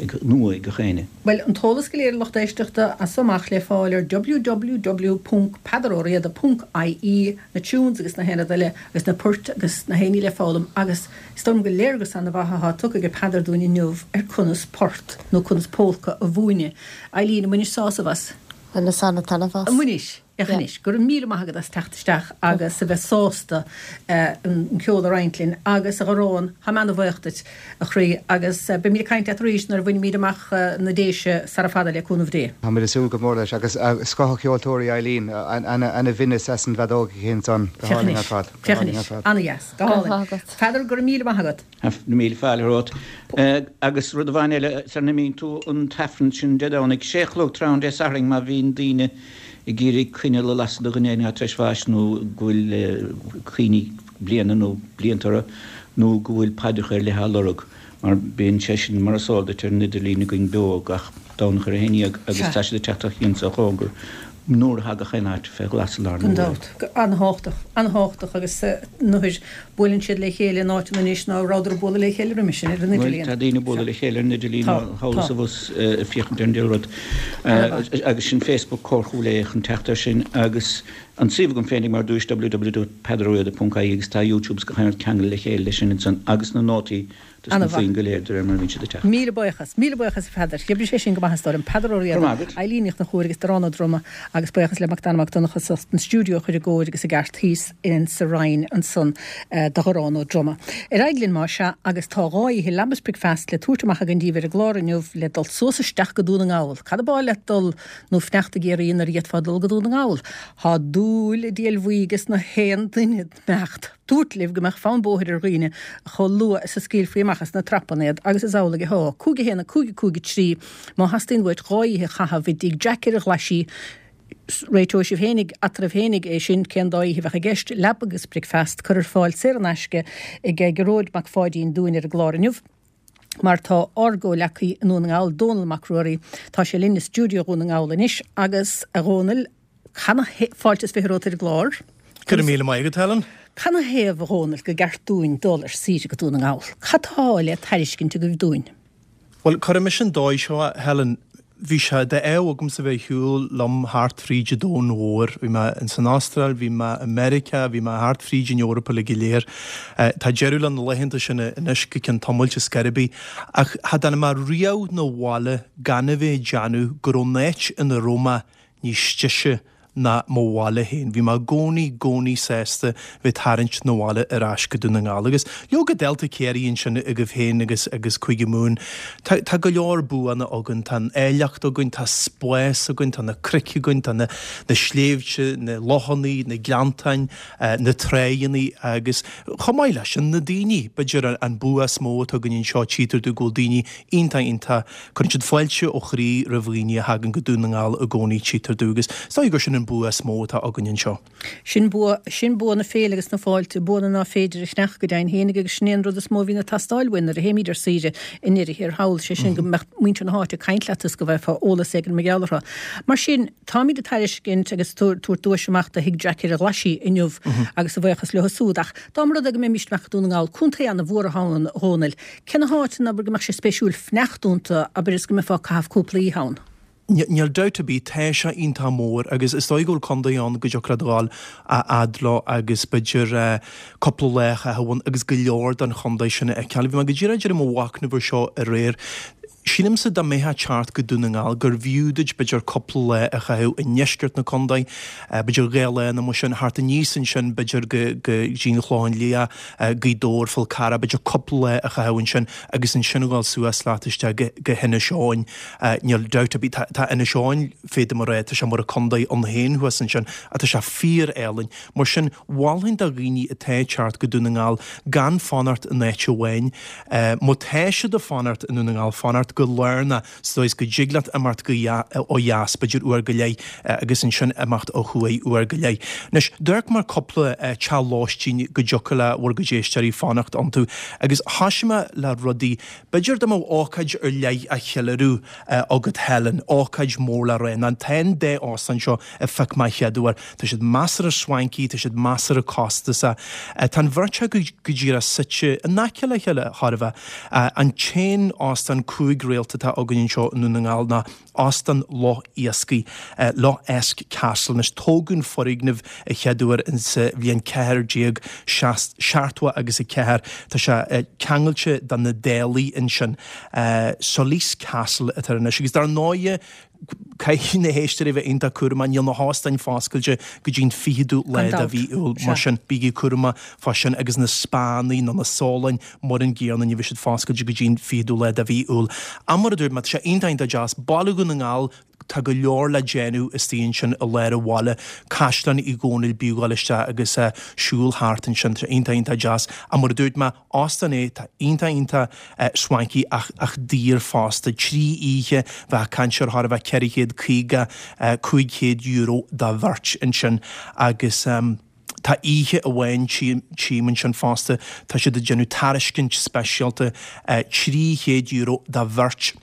ag nua ag gach éinne. Bhuel, an t-eolas go léir a lucht éisteachta as so amach le fáil ar www ponc peadar ó riada ponc ie, na tunes agus na haon rud eile agus na poirt agus na haon ní le foghlaim agus is dóigh liom gur léargas ana-mhaith atá tugtha ag Peadar dúinn inniu ar conas port nó conas pólca a mhúineadh. Eileen, an mbainis sásamh as? Bhaineas ana-taitneamh as. An mbainis? Féach anois, go raibh míle maith agat as teacht isteach agus a bheith sásta an ceol a roinnt linn agus a Gharráin, táim ana-bhuíoch duit, a chroí, agus beimid ag caint leat arís nuair a bhainimid amach na Déise sara fada le cúnamh Dé. Táimid ag súil go mór leis agus scoth cheoltóirí Eileen, ana-bhinneas as an bhfeadóg aici ansan, go Féach hálainn ar anois, fad, go féach hálainn ar anois, fad. ana-dheas, go Go raibh hálainn. maith agat. Peadar, go raibh míle maith agat. Míle fáilte romhat. Agus rud amháin eile, sar a n-imíonn tú an t-aifreann sin Dé Domhnaigh, sé a chlog tráthnóna Dé Sathairn má bhíonn daoine ag iarraidh coinneal a lasadh do dhuine éigin atá tar éis bháis nó go bhfuil cuimhní bliana nó blianta orthu nó go bhfuil paidreacha ar leith á lorg mar bíonn sé sin mar is eol duit ar an idirlíon againn beo gach Domhnach ar a haon dhéag agus tá siad ag teacht ó chian is ó chóngar nuair a thagadh gach aon áit fé ghlas i lár na Gan huaire. dabht. An-thábhachtach. An-thábhachtach agus nuair buaileann siad le chéile in áiteanna anois ná rabhadar ag bualadh le chéile roimhe sin ar an Bhuel, idirlíon. tá daoine ag bualadh le chéile ar an idirlíon Tá, thall is tá. abhus ag féachaint ar an diabhal rud. Agus sin Facebook Comhar Chúil Aodha chun teacht air sin agus an suíomh agam féinig mar dúirt www dot peadar ó riada ponc ie agus tá YouTube 's gach aon rud ceangailte le chéile leis sin ansan agus na nótaí dos na Ana-mhaith. foinn go léir de réir mar a bhíonn siad ag teacht. Míle buíochas, míle buíochas a Pheadair. D'oibrigh sé sin go maith is dóigh liom. Peadar Ó Go Riada, raibh maith agat. Eilín Ní Chonchúir agus Darán Ó Droma agus buíochas le Mac Dara Mac Donncha as an stiúideo a chur i gcóir agus i gceart thíos in sa Rinn ansan do Dharán Ó Droma. Ar aghaidh linn más ea agus tá dhá oíche leaba is bricfeasta le tabhairt amach againn daoibh ar an gclár inniu le dul suas isteach go Dún na nGall. Cad ab áil leat dul nó fanacht i gCiarraí nuair a d'fhéadfá dul go Dún na nGall? Tá dúil i diabhal bhuí ges na haon duine mbeadh dúirt libh go mbeadh fonn bóthair ar dhaoine chomh luath is a scaoilfí amach as na trapanna iad agus is amhlaidh atá. Cúig a haon a cúig a cúig a trí má theastaíonn uait dhá oíche a chaitheamh i dtigh Jack ar an Ghlaisigh réiteoidh sibh féinig eatarthu féinig é sin cén dá oíche a bheadh i gceist, leaba agus bricfeast curtha ar fáil saor in aisce ag Gearóid Mac Pháidín dúinn ar an gclár inniu. Mar tá ár gcomhghleacaí i nDún na nGall, Dónall Mac Ruairí, tá sé linn i stiúideo Dhún na nGall anois agus a Dhónaill, Fáilte is fiche romhat ar an gclár. Go raibh míle maith agat, Helen. Canathaobh, a Dhónaill, gur ceart dúinn dul ar saoire go Dún na nGall? Cad tá le tairiscint agaibh dúinn? Bhuel, cuirfidh mise an dóigh seo, Helen. Bhí sé d'ádh agamsa bheith ag siúl liom thart fríd an domhan mhór. Bhí mé in san Astráil, bhí mé i Meiriceá, bhí mé thart fríd an Eoraip uilig go léir. Tá deireadh le na laethanta sin anois go ceann tamaill ar scor ar bith. Ach cha dtáinig mé riamh 'na bhaile gan a bheith ag déanamh go raibh an áit ina raibh mé níos deise ná mo bhaile féin. Bhí mé i gcónaí, gcónaí sásta bheith tarraingt 'na bhaile ar ais go Dún na nGall. Agus leoga Delta Ciarraí ansin agaibh féin agus agus Cúige Mumhan, tá tá go leor buanna againn, tá an áilleacht againn, tá spás againn, tá na cnoic againn, tá na na sléibhte, na lochannaí, na gleanntáin, na tráigheannaí agus chomh maith leis sin na daoine. B'fhéidir an bua is mó atá againn anseo, tchítear domh go bhfuil daoine iontach iontach, cuireann siad fáilte ó chroí roimh dhaoine a thagann go Dún na nGall i gcónaí, tchítear domh agus is dóigh gur sin an bua is mó atá againn anseo. Sin bua, sin bua na féile agus na fáilte, buanna ná féidir a cheannach go deimhin féinig agus sin é an rud is mó a bhíonn ag teastáil uainn nuair a théimid ar saoire i ndeireadh thiar thall, sé sin go mbeadh muintir na háite ag caint leat is go bhfaighfeá eolas éigin mar gheall orthu. Mar sin, táimid ag tairiscint agus tabhairt duais amach do Thigh Jack ar an Ghlaisigh inniu agus a bhuíochas leo siúd. Ach dá mba rud é go mbeimis amach go Dún na nGall, contae an-mhór atá ann, a Dhónaill, cé na háiteanna abair go mbeadh sé spéisiúil fanacht iontu, abair is go mbeifeá ag caitheamh cúpla oíche ann? Níl dabht ar bith, tá sé iontach mór agus is dóigh go bhfuil contae ann go dtiocfadh leat a ghabháil a fhad leo agus b'fhéidir cúpla lá a chaitheamh ann agus go leor den chontae sin a fheiceáil. Bhí mé go díreach ag déanamh mo mhachnamh air seo aréir. Sílimse dá mbeifeá ag teacht go Dún na nGall gurbh fhiú duit b'fhéidir cúpla lá a chaitheamh i ndeisceart na contae, b'fhéidir dhá lá nó mar sin, thart aníos ansin b'fhéidir go go dtí an Chlochán Liath, Gaoth Dobhair, Fál Carrach, b'fhéidir cúpla lá a chaitheamh ansin agus ansin a ghabháil suas leat isteach go go hInis Eoghain. Níl dabht ar bith, tá tá Inis Eoghain, féadaim a rá, tá sé mar a contae ann féin thuas ansin ach tá sé fíor-álainn. Mar sin, mholfainn do dhaoine atá ag teacht go Dún na nGall gan fanacht in áit amháin. Má tá siad ag fanacht i nDún na nGall, fanacht go lárnach sa dóigh is go dtig leat imeacht go ó dheas, b'fhéidir uair go leith, agus ansin imeacht ó thuaidh uair go leith. Anois, d'amharc mé ar cúpla teach lóistín go dtiocfadh le bhur gcuid éisteoirí fanacht iontu, agus thoisigh mé le rudaí, b'fhéidir dá mbeadh ócáid ar leith á cheiliúradh agat Helen, ócáid mór le rá, ná tá an dá óstán seo a phioc mé chéad uair. Tá siad measartha swanky, tá siad measartha costasach. Tá an bheirt acu go díreach suite in aice le chéile, chóir a bheith. An t-aon óstán cúig réalta atá againn anseo i nDún na nGall ná Óstán Loch Iascaigh, Lough Eask Castle. Anois, tógadh an foirgneamh a chéad uair insa bhliain ceathair déag seachtó agus a ceathair. Tá sé ceangailte de na Dálaigh ansin. Solis Castle atá air anois. Agus dar ndóighe, caithfidh na héisteoirí bheith iontach cúramach, níl na hóstáin foscailte go dtí an fichiú lá Gan de dabht. mhí Iúil, mar Sea. sin bígí cúramach fá sin agus na spáannaí nó na sólanna mar an gcéanna, ní bheidh siad foscailte go dtí an fichiú lá de mhí Iúil. Ach mar a dúirt mé, tá sé iontach iontach deas, Baile Dhún na nGall, tá go leor le déanamh istigh ansin i lár an bhaile, Caisleán Uí Dhónaill, b'fhiú dul isteach agus siúl thart ansin, tá sé iontach iontach deas. Ach mar a dúirt mé, óstán é, tá iontach iontach swanky ach ach daor fosta. Trí oíche bheith ag caint ar chóir a bheith ceithre chéad caoga, cúig chéad euro do bheirt ansin agus. Tá Tá oíche amháin tchím ansin fosta, tá siad ag déanamh tairiscint speisialta trí chéad euro do bheirt.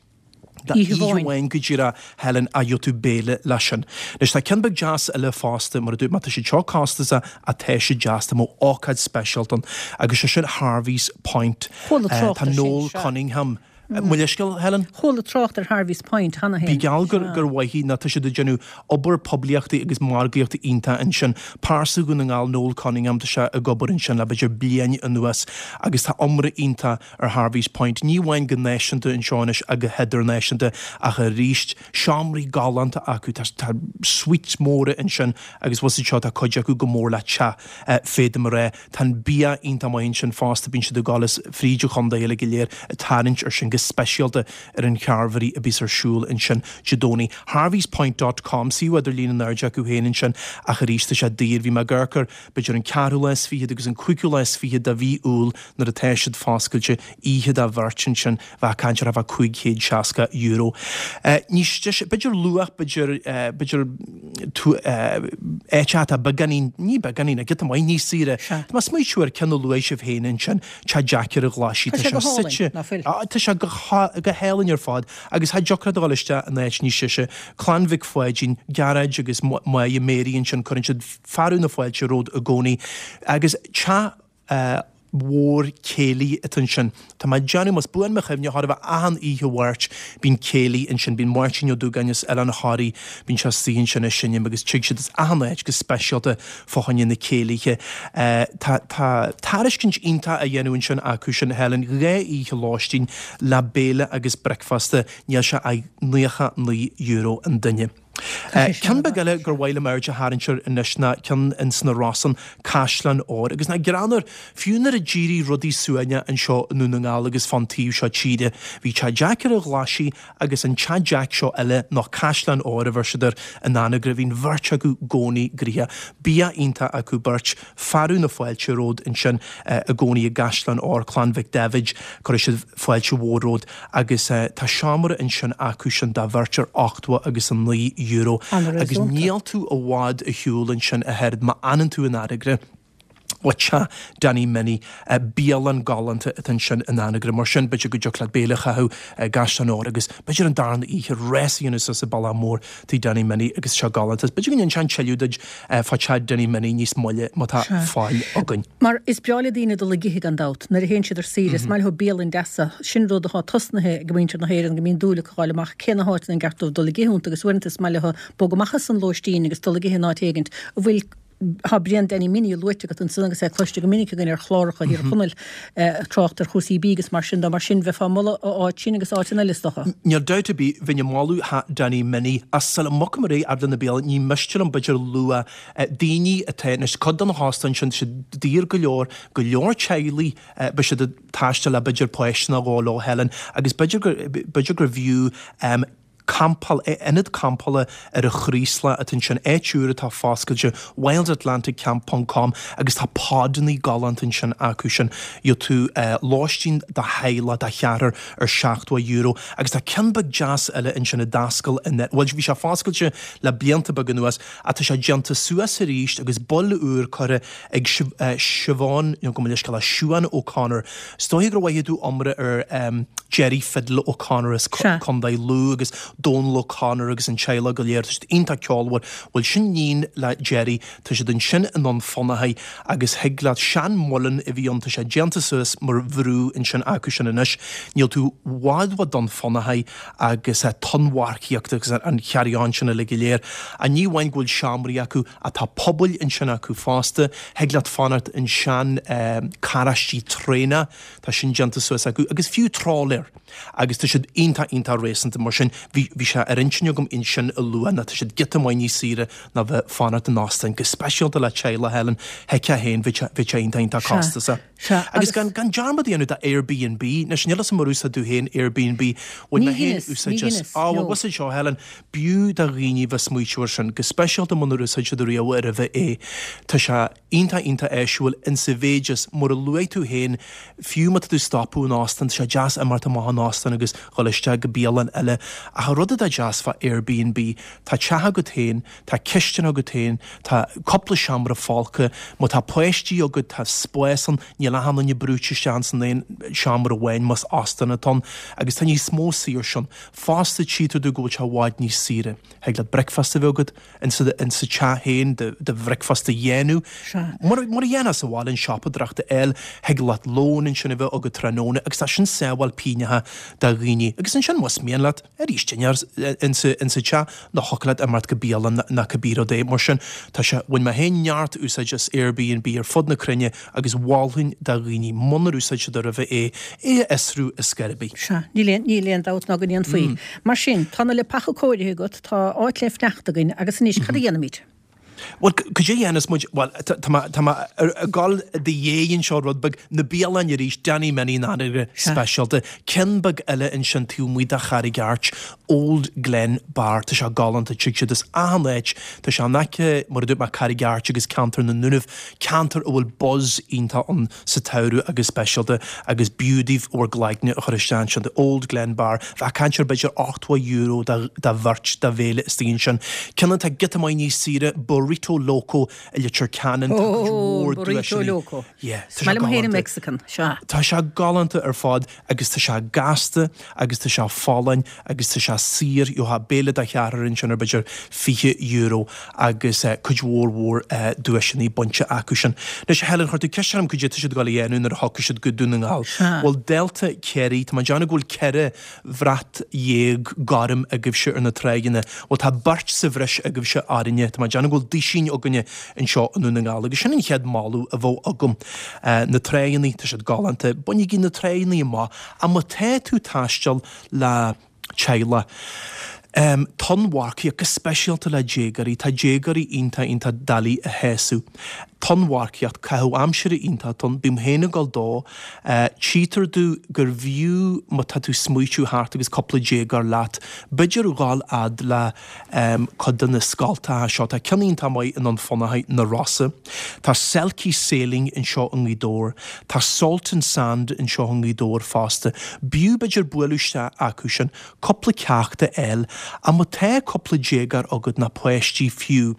Oíche amháin go díreach Helen a gheobhaidh tú béile leis sin. Anois tá ceann beag deas eile fosta mar a dúirt mé tá siad seo costasach ach tá siad deas tá mo ócáid speisialta ann agus sé sin Harvey's Point. Chuala trácht Tá ar sin, Noel sea. Cunningham. Mo leithscéal, Helen? Chuala trácht ar Harvey's Point cheana Bí féin. geall gur Sea. gur mhaith í ná tá siad ag déanamh obair poiblíochta agus margaíochta iontach ansin. Pearsa Dhún na nGall, Noel Cunningham, tá sé ag obair ansin le b'fhéidir bliain anuas agus tá iomrá iontach ar Harvey's Point, ní amháin go náisiúnta anseo anois ach go hidirnáisiúnta ach arís, seomraí galánta acu, tá tá suites móra ansin agus bhfuil siad seo, tá cuid acu chomh mór le teach, féadaim a rá. Tá an bia iontach maith ansin fosta, bíonn siad ag dul as fríd an chontae uilig go léir ag tarraingt ar sin go speisialta ar an Charvery a bíos ar siúl ansin Dé Domhnaigh. Harveyspoint dot com, suíomh idirlín in airde acu féin ansin ach arís tá sé daor, bhí mé ag amharc air b'fhéidir an ceathrú lá is fichead agus an cúigiú lá is fichead de mhí Iúil nuair atá siad foscailte, oíche do bheirt ansin, bheadh ag caint ar fá cúig chéad seasca euro. Níos deise, b'fhéidir luach, b'fhéidir, b'fhéidir áit atá beagáinín, ní beagáinín, ach giota maith níos saoire. Sea. Tá mé ag smaoitiú ar ceann a luaigh sibh féin ansin, Teach Jeaic ar an Ghlaisigh, Tá tá sé sé go hálainn, suite, ná fuil? tá sé go go hálainn ar fad agus cha dtiocfadh leat a dhul isteach in áit níos deise. Clann Mhic Pháidín, Gearóid agus Máire Mary ansin, cuireann siad fearadh na fáilte romhat i gcónaí agus teach mhór céilí atá ansin. Tá mé ag déanamh, más buan mo chuimhne, chóir a bheith achan oíche Mháirt, bíonn céilí ansin, bíonn Máirtín Ó Dúgáin as Oileán Thoraí, bíonn sé istigh ansin ag seinm agus tig siad as achan áit go speisialta fá choinne na céilithe. Tá tá tairiscint iontach á dhéanamh ansin acu sin, Helen, dhá oíche lóistín le béile agus bricfeasta, níl sé ach naocha naoi euro an duine. Ceann beag eile gur mhaith liom aird a tharraingt air anois ná ceann ins na Rosann, Caisleán Óir. Agus nach greannmhar, fiú nuair a d'éirigh rudaí suaimhneach anseo i nDún na nGall agus fán taobh seo tíre, bhí Teach Jeaic ar an Ghlaisigh agus an Teach Jeaic seo eile, nó Caisleán Óir a bheir siad air in Anagaire, bhí an bheirt acu i gcónaí gnoitheach. Bia iontach acu beirt, fearadh na fáilte romhat ansin i gcónaí i gCaisleán Óir, Clann Mhic Daibhéid, cuirfidh siad fáilte mhór romhat agus tá seomra ansin acu sin dá bheirt ar ochtó agus a naoi euro agus níl tú i bhfad ar shiúl ansin a Sheard má fhanann tú in Anagaire. Ó teach Danny Minnie, bialann galánta atá ansin in Anagaire, mar sin b'fhéidir go dtiocfadh leat béile a chaitheamh i gCaisleán Óir agus b'fhéidir an darna oíche rás a dhéanamh suas an bealach mór tigh Danny Minnie agus seo galánta. B'fhéidir go ndéanfainn tuilleadh duit fá teach Danny Minnie níos moille má tá fáil againn. Mar is breá le daoine dul ag ithe gan dabht, nuair a théann siad ar saoire, is maith leo bialann deasa, sin rud atá tosnaithe ag muintir na hÉireann go mbíonn dúil acu a fháil amach cé na háiteanna an gceart dóibh dul ag ithe iontu agus uaireanta is maith leo bogadh amach as an lóistín agus dul ag ithe in áit éigint a bhfuil Tá Brian Danny Minnie luaite agat ansan agus é cloiste go minic againn ar chláracha Thír Chonaill ag trácht ar chúrsaí bídh agus mar sin de. Mar sin, bheifeá ag moladh an áit sin agus áiteanna eile is dócha. Níl dabht ar bith, bheinn ag moladh theach Danny Minnie ach sula mbogfaim ar aghaidh fhad le na bialanna, ní miste liom b'fhéidir lua daoine atá anois, cuid de na hóstáin sin, tá siad daor go leor, go leor teaghlaigh, beidh siad ag taisteal le b'fhéidir páiste nó dhó leo, Helen, agus b'fhéidir gur, b'fhéidir gur bhfiú campáil, ionad campála ar an Chraoslach atá ansin, áit úr atá foscailte, wild atlantic camp ponc com agus tá podannaí galánta ansin acu sin. Gheobhaidh tú lóistín do theaghlach, do cheathrar ar seachtó euro agus tá ceann beag deas eile ansin a d'oscail in, bhuel bhí sé foscailte le blianta beaga anuas ach tá sé déanta suas arís agus bail úr curtha ag Siobhán, nó gabh mo leithscéal, Siuán O'Connor. Is dóiche gur mhothaigh tú iomrá ar Gerry Fiddle O'Connor as Contae Lú agus Dónal O'Connor agus an teaghlach go léir, tá siad iontach ceolmhar. Bhuel, sin níon le Gerry, tá siad ansin i nDún Fionnachaidh agus thig leat, sean-mhuileann a bhí ann, tá sé déanta suas mar bhrú ansin acu sin anois. Níl tú i bhfad ó Dún Fionnachaidh agus tonnmharcaíocht agus an carry on sin uilig go léir. Ach ní amháin go bhfuil seomraí acu ach tá pubaill ansin acu fosta, thig leat fanacht in sean carráistí traenach, tá sin déanta suas acu agus fiú trálaeir agus tá siad iontach iontach réasúnta mar sin bhí bhí sé ar intinn agam iad sin a lua nó tá siad giota maith níos saoire ná bheith fanacht in óstán go speisialta le teaghlach Helen, thuigfeá féin bhí sé bhí sé iontach iontach Sea. costasach. Sea, Agus gan gan dearmad a dhéanamh de Airbnb, anois níl a fhios agam ar úsáid tú féin Airbnb, bhain Ní mé féin dheineas, ní úsáid as. dheineas, Á, bhuel, no. bhfuil a fhios agat seo, Helen, b'fhiú do dhaoine bheith smaoitiú ar sin, go speisialta munar úsáid siad riamh roimhe é. Tá sé iontach iontach áisiúil insa mhéid is, mar a luaigh tú féin, fiú má tá tú stopadh in óstán, tá sé deas imeacht amach ón óstán agus dhul isteach go bialann eile. Ach an rud atá deas fá Airbnb, tá teach agat féin, tá cistin agat féin, tá cúpla seomra folctha, má tá páistí agat tá spás ann, níl achan duine brúite isteach san aon seomra amháin más óstán atá ann, agus tá níos mó saoirse ann. Fosta tchítear domh go bhfuil sé i bhfad níos saoire. Thig leat bricfeasta a bheith agat insa insa teach féin, do do bhricfeasta a dhéanamh. Sea. Mar mar a dhéanfá sa bhaile an siopadóireacht a fháil, thig leat lón ansin a bheith agat tráthnóna agus tá sin sábháil pingneacha do dhaoine. Agus ansin más mian leat, arís dinnéar insa insa teach nó thiocfadh leat imeacht go bialann nó cibé rud é. Mar sin tá sé, bhain mé féin neart úsáid as Airbnb ar fud na cruinne agus mholfainn do dhaoine, munar úsáid siad roimhe é, é a fhiosrú ar scor ar bith. Sea, níl aon, níl aon dabht ná go ndéanfaí. Mar sin, tá na leapacha cóirithe agat, tá áit le fanacht againn agus anois cad a dhéanfaimid? Bhuel, cad é a dhéanfas muid, bhuel, tá mé, tá mé ag dul i do dhiaidh anseo rud beag, na bialanna arís, Danny Minnie in Anagaire speisialta, ceann beag eile ansin taobh amuigh de Charraig Airt, Old Glen Bar, tá sé galánta, tig siad as achan áit, tá sé in aice, mar a dúirt mé, Carraig Airt agus ceantar na nDúnaibh, ceantar a bhfuil buzz iontach ann sa tsamhradh agus speisialta agus b'fhiú daoibh bhur gcloigne a chur isteach ansin, The Old Glen Bar, bheadh caint ar b'fhéidir ochtó euro do bheirt do bhéile istigh ansin. Ceann atá giota maith níos saoire, Burrito Loco i Leitir Ceanainn, tá cuid Ó, mhór Burrito duaiseanna. Loco. Yeah, tá sé Is maith liom féin an galánta. Mexican, sea. Tá sé galánta ar fad agus tá sé gasta agus tá sé folláin agus tá sé saor, gheofá béile do cheathrar ansin ar b'fhéidir fiche euro agus cuid mhór mhór duaiseanna bainte acu sin. Anois, Helen, chuir tú ceist orm cad é tá siad ag dul a dhéanamh nuair a thiocfaidh siad go Dún na nGall. Sea. Bhuel, Delta Chiarraí, tá mé ag déanamh go bhfuil ceithre bhrat dhéag gorm agaibhse ar na tráigheanna. Bhuel, tá beirt sa bhreis agaibhse orainne, tá mé ag déanamh go bhfuil duisín againne anseo i nDún na nGall agus sin an chéad moladh a bheadh agam. Na tráigheanna, tá siad galánta, bainigí na tráigheanna amach, ach má tá tú taisteal le teaghlach, tonnmharcaíocht, go speisialta le déagóirí, tá déagóirí iontach iontach doiligh a shásamh. Tonnmharcaíocht, caitheamh aimsire iontach ann, bím féin ag dul dó, tchítear domh gur bhfiú má tá tú smaoitiú thart agus cúpla déagóir leat, b'fhéidir dhul fhad le cuid de na scoltacha seo, tá ceann iontach maith i nDún Fionnachaidh, na Rosa, tá Selkie Sailing anseo i nGaoth Dobhair, tá Salt and Sand anseo i nGaoth Dobhair fosta, b'fhiú b'fhéidir bualadh isteach acu sin, cúpla ceacht a fháil, ach má tá cúpla déagóir agat nó páistí fiú,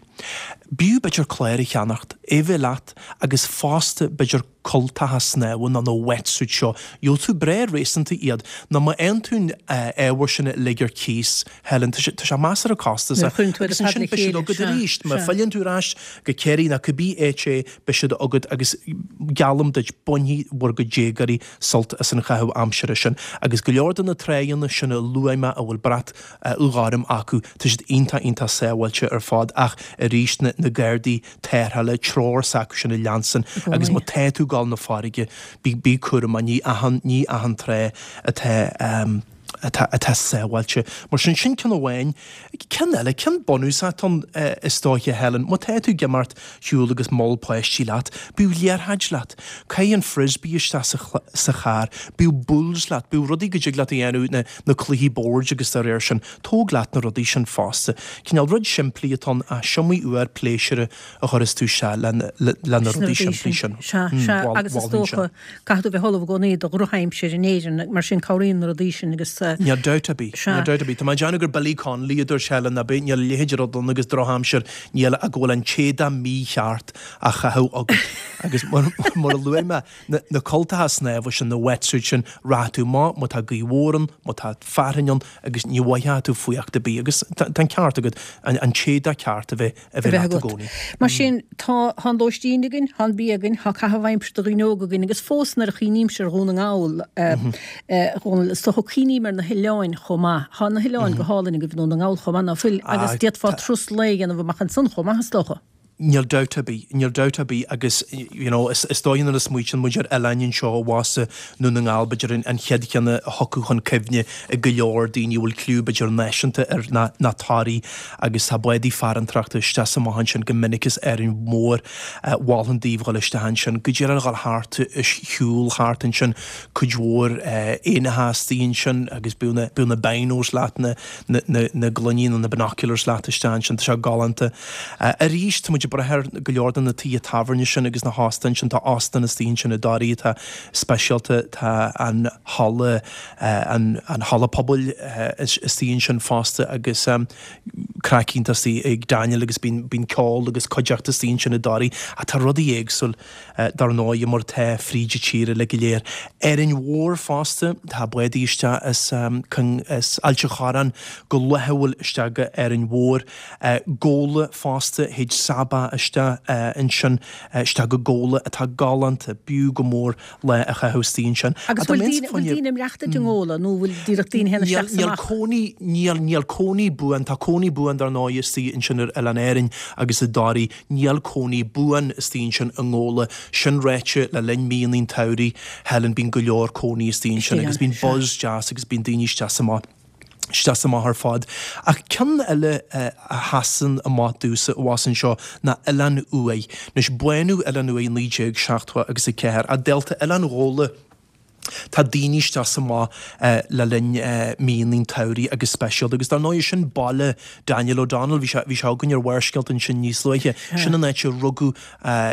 b'fhiú b'fhéidir clár a cheannacht, é bheith leat agus fosta b'fhéidir cultacha snámha nó na wetsuit seo, gheobhaidh tú breá réasúnta iad, nó má fhaigheann tú an ábhar sin uilig ar cíos, Helen, tá sé, tá sé measartha costasach. Nuair a chuireann tú iad Agus ar fad ansin le beidh siad chéile, agat sea, arís, má sea. philleann tú ar ais go Ciarraí nó cibé áit é, beidh siad agat agus geallaim duit, bainfidh bhur gcuid déagóirí sult as an chaitheamh aimsire sin. Agus go leor de na tráigheanna sin a luaigh mé a bhfuil brat ghorm acu, tá siad iontach iontach sábháilte ar fad ach arís na, na gardaí tarrthála, treoir s'acu sin a leanstan agus má tá tú ag dul na farraige, bí, bí cúramach, ní achan, ní achan trá atá, um, atá, atá sábháilte. Mar sin, sin ceann amháin. Ceann eile, ceann bunúsach atá ann, is dóiche, Helen, má tá tú ag imeacht shiúl agus moll páistí leat, bíodh liathróid leat. Caith an frisbee isteach sa, sa charr, bíodh boules leat, bíodh rudaí go dtig leat a dhéanamh, na, na cluichí boird agus dá réir sin. Tóg leat na rudaí sin fosta. Cineál rud simplí atá ann, ach is iomaí uair pléisiúr a chuireas tú isteach le, le, le na rudaí simplí sin. Sea, sea, agus is dócha, caithfidh tú bheith ullamh i gcónaí do dhrochaimsir in Éirinn, mar sin cabhraíonn na rudaí sin agus Níl dabht ar bith, níl dabht ar bith. Tá mé ag déanamh gur Billy Connolly a dúirt Helen, ab é? Níl a leithéid de rud ann agus drochaimsir, níl ach go bhfuil an t-éadach mícheart á chaitheamh agat. Agus mar, mar a luaigh mé, na, na cultacha snámha sin, na wetsuits sin, rachaidh tú amach má tá gaoth mhór ann, má tá fearthainn ann agus ní mhothóidh tú fuacht ar bith. Agus tá, tá an ceart agat, an, an t-éadach ceart a bheith, a a bheith bheith leat i agat. gcónaí. Mar sin, tá, tá an lóistín againn, tá an bia againn, tá caitheamh aimsire do dhaoine óga againn agus fós nuair a chuimhnímse ar Dhún na nGall, a Dhónaill, is dócha cuimhním ar na hoileáin chomh maith. Tá na hoileáin go hálainn agaibh i nDún na nGall chomh maith, ná fuil? Agus Ah, d'fhéadfá tá. turas lae a dhéanamh amach ansan chomh maith, is dócha. Níl dabht ar bith, níl dabht ar bith agus you know is is dóigh nuair a smaoitíonn muid ar oileáin anseo abhus i nDún na nGall b'fhéidir an an chéad cheann a thiocfadh chun cuimhne ag go leor daoine a bhfuil cliú b'fhéidir náisiúnta air ná ná Toraigh agus tá bádaí farantóireachta isteach is amach ansin go minic as Árainn Mhór. Mholfainn daoibh dhul isteach ansin go díreach a dhul thart is shiúl thart ansin cuid mhór éanacha istigh ansin agus bíodh na bíodh na binos leat na na na na gloiní nó na binoculars leat isteach ansin tá sé galánta. Arís tá muid ag brath ar go leor de na tithe tábhairne sin agus na hóstáin sin. Tá óstán istigh ansin i dToraigh atá speisialta, tá an halla, an halla pobail istigh ansin fosta agus craic iontach istigh ag Daniel agus bíonn, bíonn ceol agus cuideachta istigh ansin i dToraigh. Ach tá rudaí éagsúil dar ndóigh mar atá fríd an tír uilig go léir. Árainn Mhór fosta, tá bádaí isteach as, as Ailt an Chorráin go laethúil isteach go Árainn Mhór. Gabhla fosta, théid Saba isteach ansin, isteach go Gabhla atá galánta, b'fhiú go mór lá a chaitheamh istigh ansin. Agus bhfuil daoine, bhfuil daoine ag maireachtaint i nGabhla nó bhfuil díreach daoine a théann isteach is Níl amach? cónaí, níl, níl cónaí buan, tá cónaí buan dar ndóigh istigh ansin ar Oileán Árainn agus i dToraigh, níl cónaí buan istigh ansin i nGabhla, sin ráite le linn míonna an tsamhraidh, Helen, bíonn go leor cónaí istigh ansin Istigh agus ann, bíonn sea. buzz deas agus bíonn daoine isteach is amach. isteach is amach ar fad. Ach ceann eile a sheasann amach domhsa abhus anseo ná Oileán Uaighe. Anois, bánaíodh Oileán Uaighe i naoi déag seachtó agus a ceathair, ach dálta Oileán Ghabhla, tá daoine isteach is amach le linn míonna an tsamhraidh agus speisialta. Agus dar ndóigh, sin baile Daniel O'Donnell, bhí sé, bhí sé againn ar Bharrscéalta ansin níos luaithe. Sin an áit a rugadh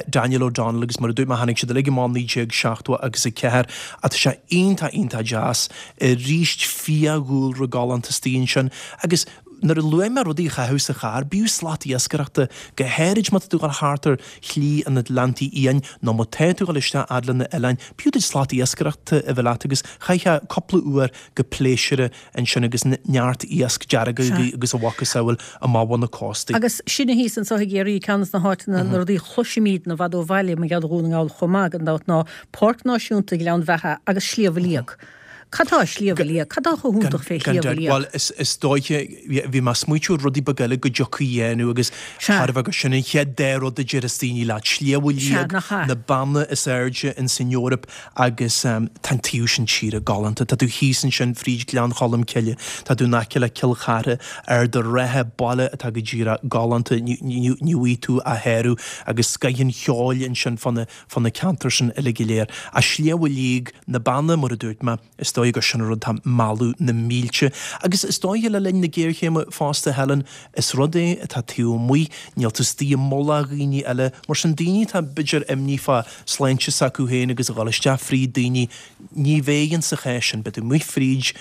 Daniel O'Donnell agus mar a dúirt mé tháinig siad uilig amach naoi déag seachtó agus a ceathair ach tá sé iontach iontach deas arís fiadhúlra galánta istigh ansin agus nuair a luaigh mé rudaí a chaitheamh sa charr b'fhiú slat iascaireachta go háirid má tá tú ag dul thart ar Shlí an Atlantaigh Fhiáin nó má tá tú ag dul isteach fhad le na oileáin b'fhiú duit slat iascaireachta a bheith leat agus chaithfeá cúpla uair go pléisiúrtha ansin agus neart iasc dearg agus a mhacasamhail amach ó na cóstaí. Agus sinne thíos anseo i gCiarraí, ceann de na háiteanna, na rudaí a chloisimid i bhfad ó bhaile, mar gheall ar Dhún na nGall chomh maith, gan dabht, ná Páirc Náisiúnta Ghleann Bheatha agus Sliabh Liag. Cad tá i Sliabh Liag? Cad tá chomh hiontach fé Gan Shliabh dabht. Liag? Bhuel, is, is dóiche, bhí mé ag smaoitiú ar rudaí beaga eile go dtiocfaí a dhéanamh agus Sea. chóir a bheith gur sin an chéad dá rud a déarfas daoine leat, Sliabh Sea, Liag, nach ea? na beanna is airde ins an Eoraip Agus tá an taobh sin tíre galánta. Tá tú thíos ansin fríd Gleann Cholm Cille, tá tú in aice le Cill Chartha, Ard an Rátha, baile atá go díreach galánta, ní bhfaighidh tú a shárú agus scoith an cheoil ansin fá na fá na ceantair sin uilig go léir. Ach Sliabh Liag, na Beanna, mar a dúirt mé, is dóigh gur sin an rud atá ag mealladh na mílte. Agus is dóiche le linn na géarchéime fosta, Helen, is rud é atá taobh amuigh, níl tú istigh i mullach dhaoine eile, mar sin daoine atá b'fhéidir imní fá sláinte s'acu féin agus a dhul isteach fríd daoine, ní bheidh insa chás sin, beidh tú amuigh fríd,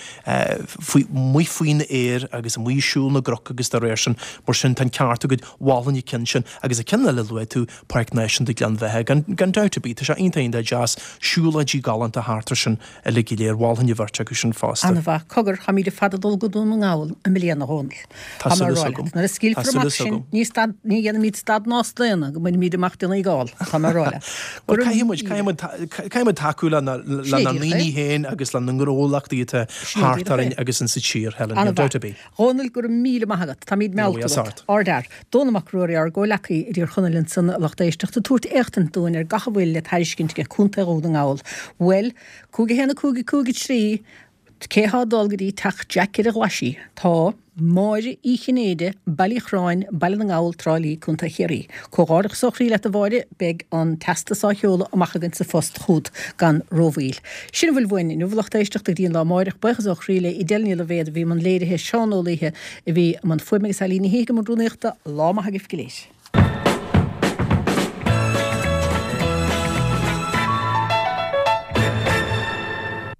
faoi, amuigh faoin aer agus amuigh ag siúl na gcnoc agus dá réir sin, mar sin tá an ceart agat, mholfainn an ceann sin agus an ceann eile a luaigh tú, Páirc Náisiúnta Ghleann Bheatha, gan, gan dabht ar bith, tá sé iontach iontach deas, siúlóidí galánta thart air sin uilig go léir, mholfainn an bheirt acu sin fosta. An-mhaith. Cogar, táimid ar fad ag dul go Dún na nGall i mbliana, a Dhónaill. Tá Tá mé súil ag rá agam. leat, nuair a Tá scaoilfear súil amach sinn, agam. ní stad, ní dhéanfaimid stad ná staonadh go mbainfimid amach Dún na nGall, tá mé ag rá leat. Go Bhuel, raibh caithfidh muid, míle. caithfidh muid, caithfidh muid tacú le na, Sin le é na díreach ndaoine é. féin agus le na ngnólachtaí atá Sin é thart díreach orainn é. agus insa tír, Helen, níl An-mhaith. dabht ar bith. Dhónaill, go raibh míle maith agat. Táimid Ní meallta bhfuil agat. ort. Ardfhear. Dónall Mac Ruairí, ár gcomhleacaí i dTír Chonaill ansan, a lucht éisteachta, ag tabhairt éachtaint dúinn ar gach a bhfuil le tairiscint ag Contae Dhún na nGall. Bhuel, cúig a haon a cúig a cúig a trí, cé thá ag dul go dtí teach Jack ar an Ghlaisigh? Tá Máire Uí Chinnéide, Baile Uí Chorráin, Baile na nGall, Trá Lí, Contae Chiarraí. Comhghairdeachas ó chroí leat a Mháire, beidh an teastas á sheoladh amach againn sa phost chugat gan rómhoill. Sin a bhfuil uainn inniu, a lucht éisteachta, go dtí an lá amáireach. Buíochas ó chroí le Edel Ní Loibhéad a bhí i mbun léirithe, Seán Ó Laoithe a bhí i mbun fuaime agus Eileen Ní Shíthigh i mbun rúnaíochta. Lá maith agaibh go léir.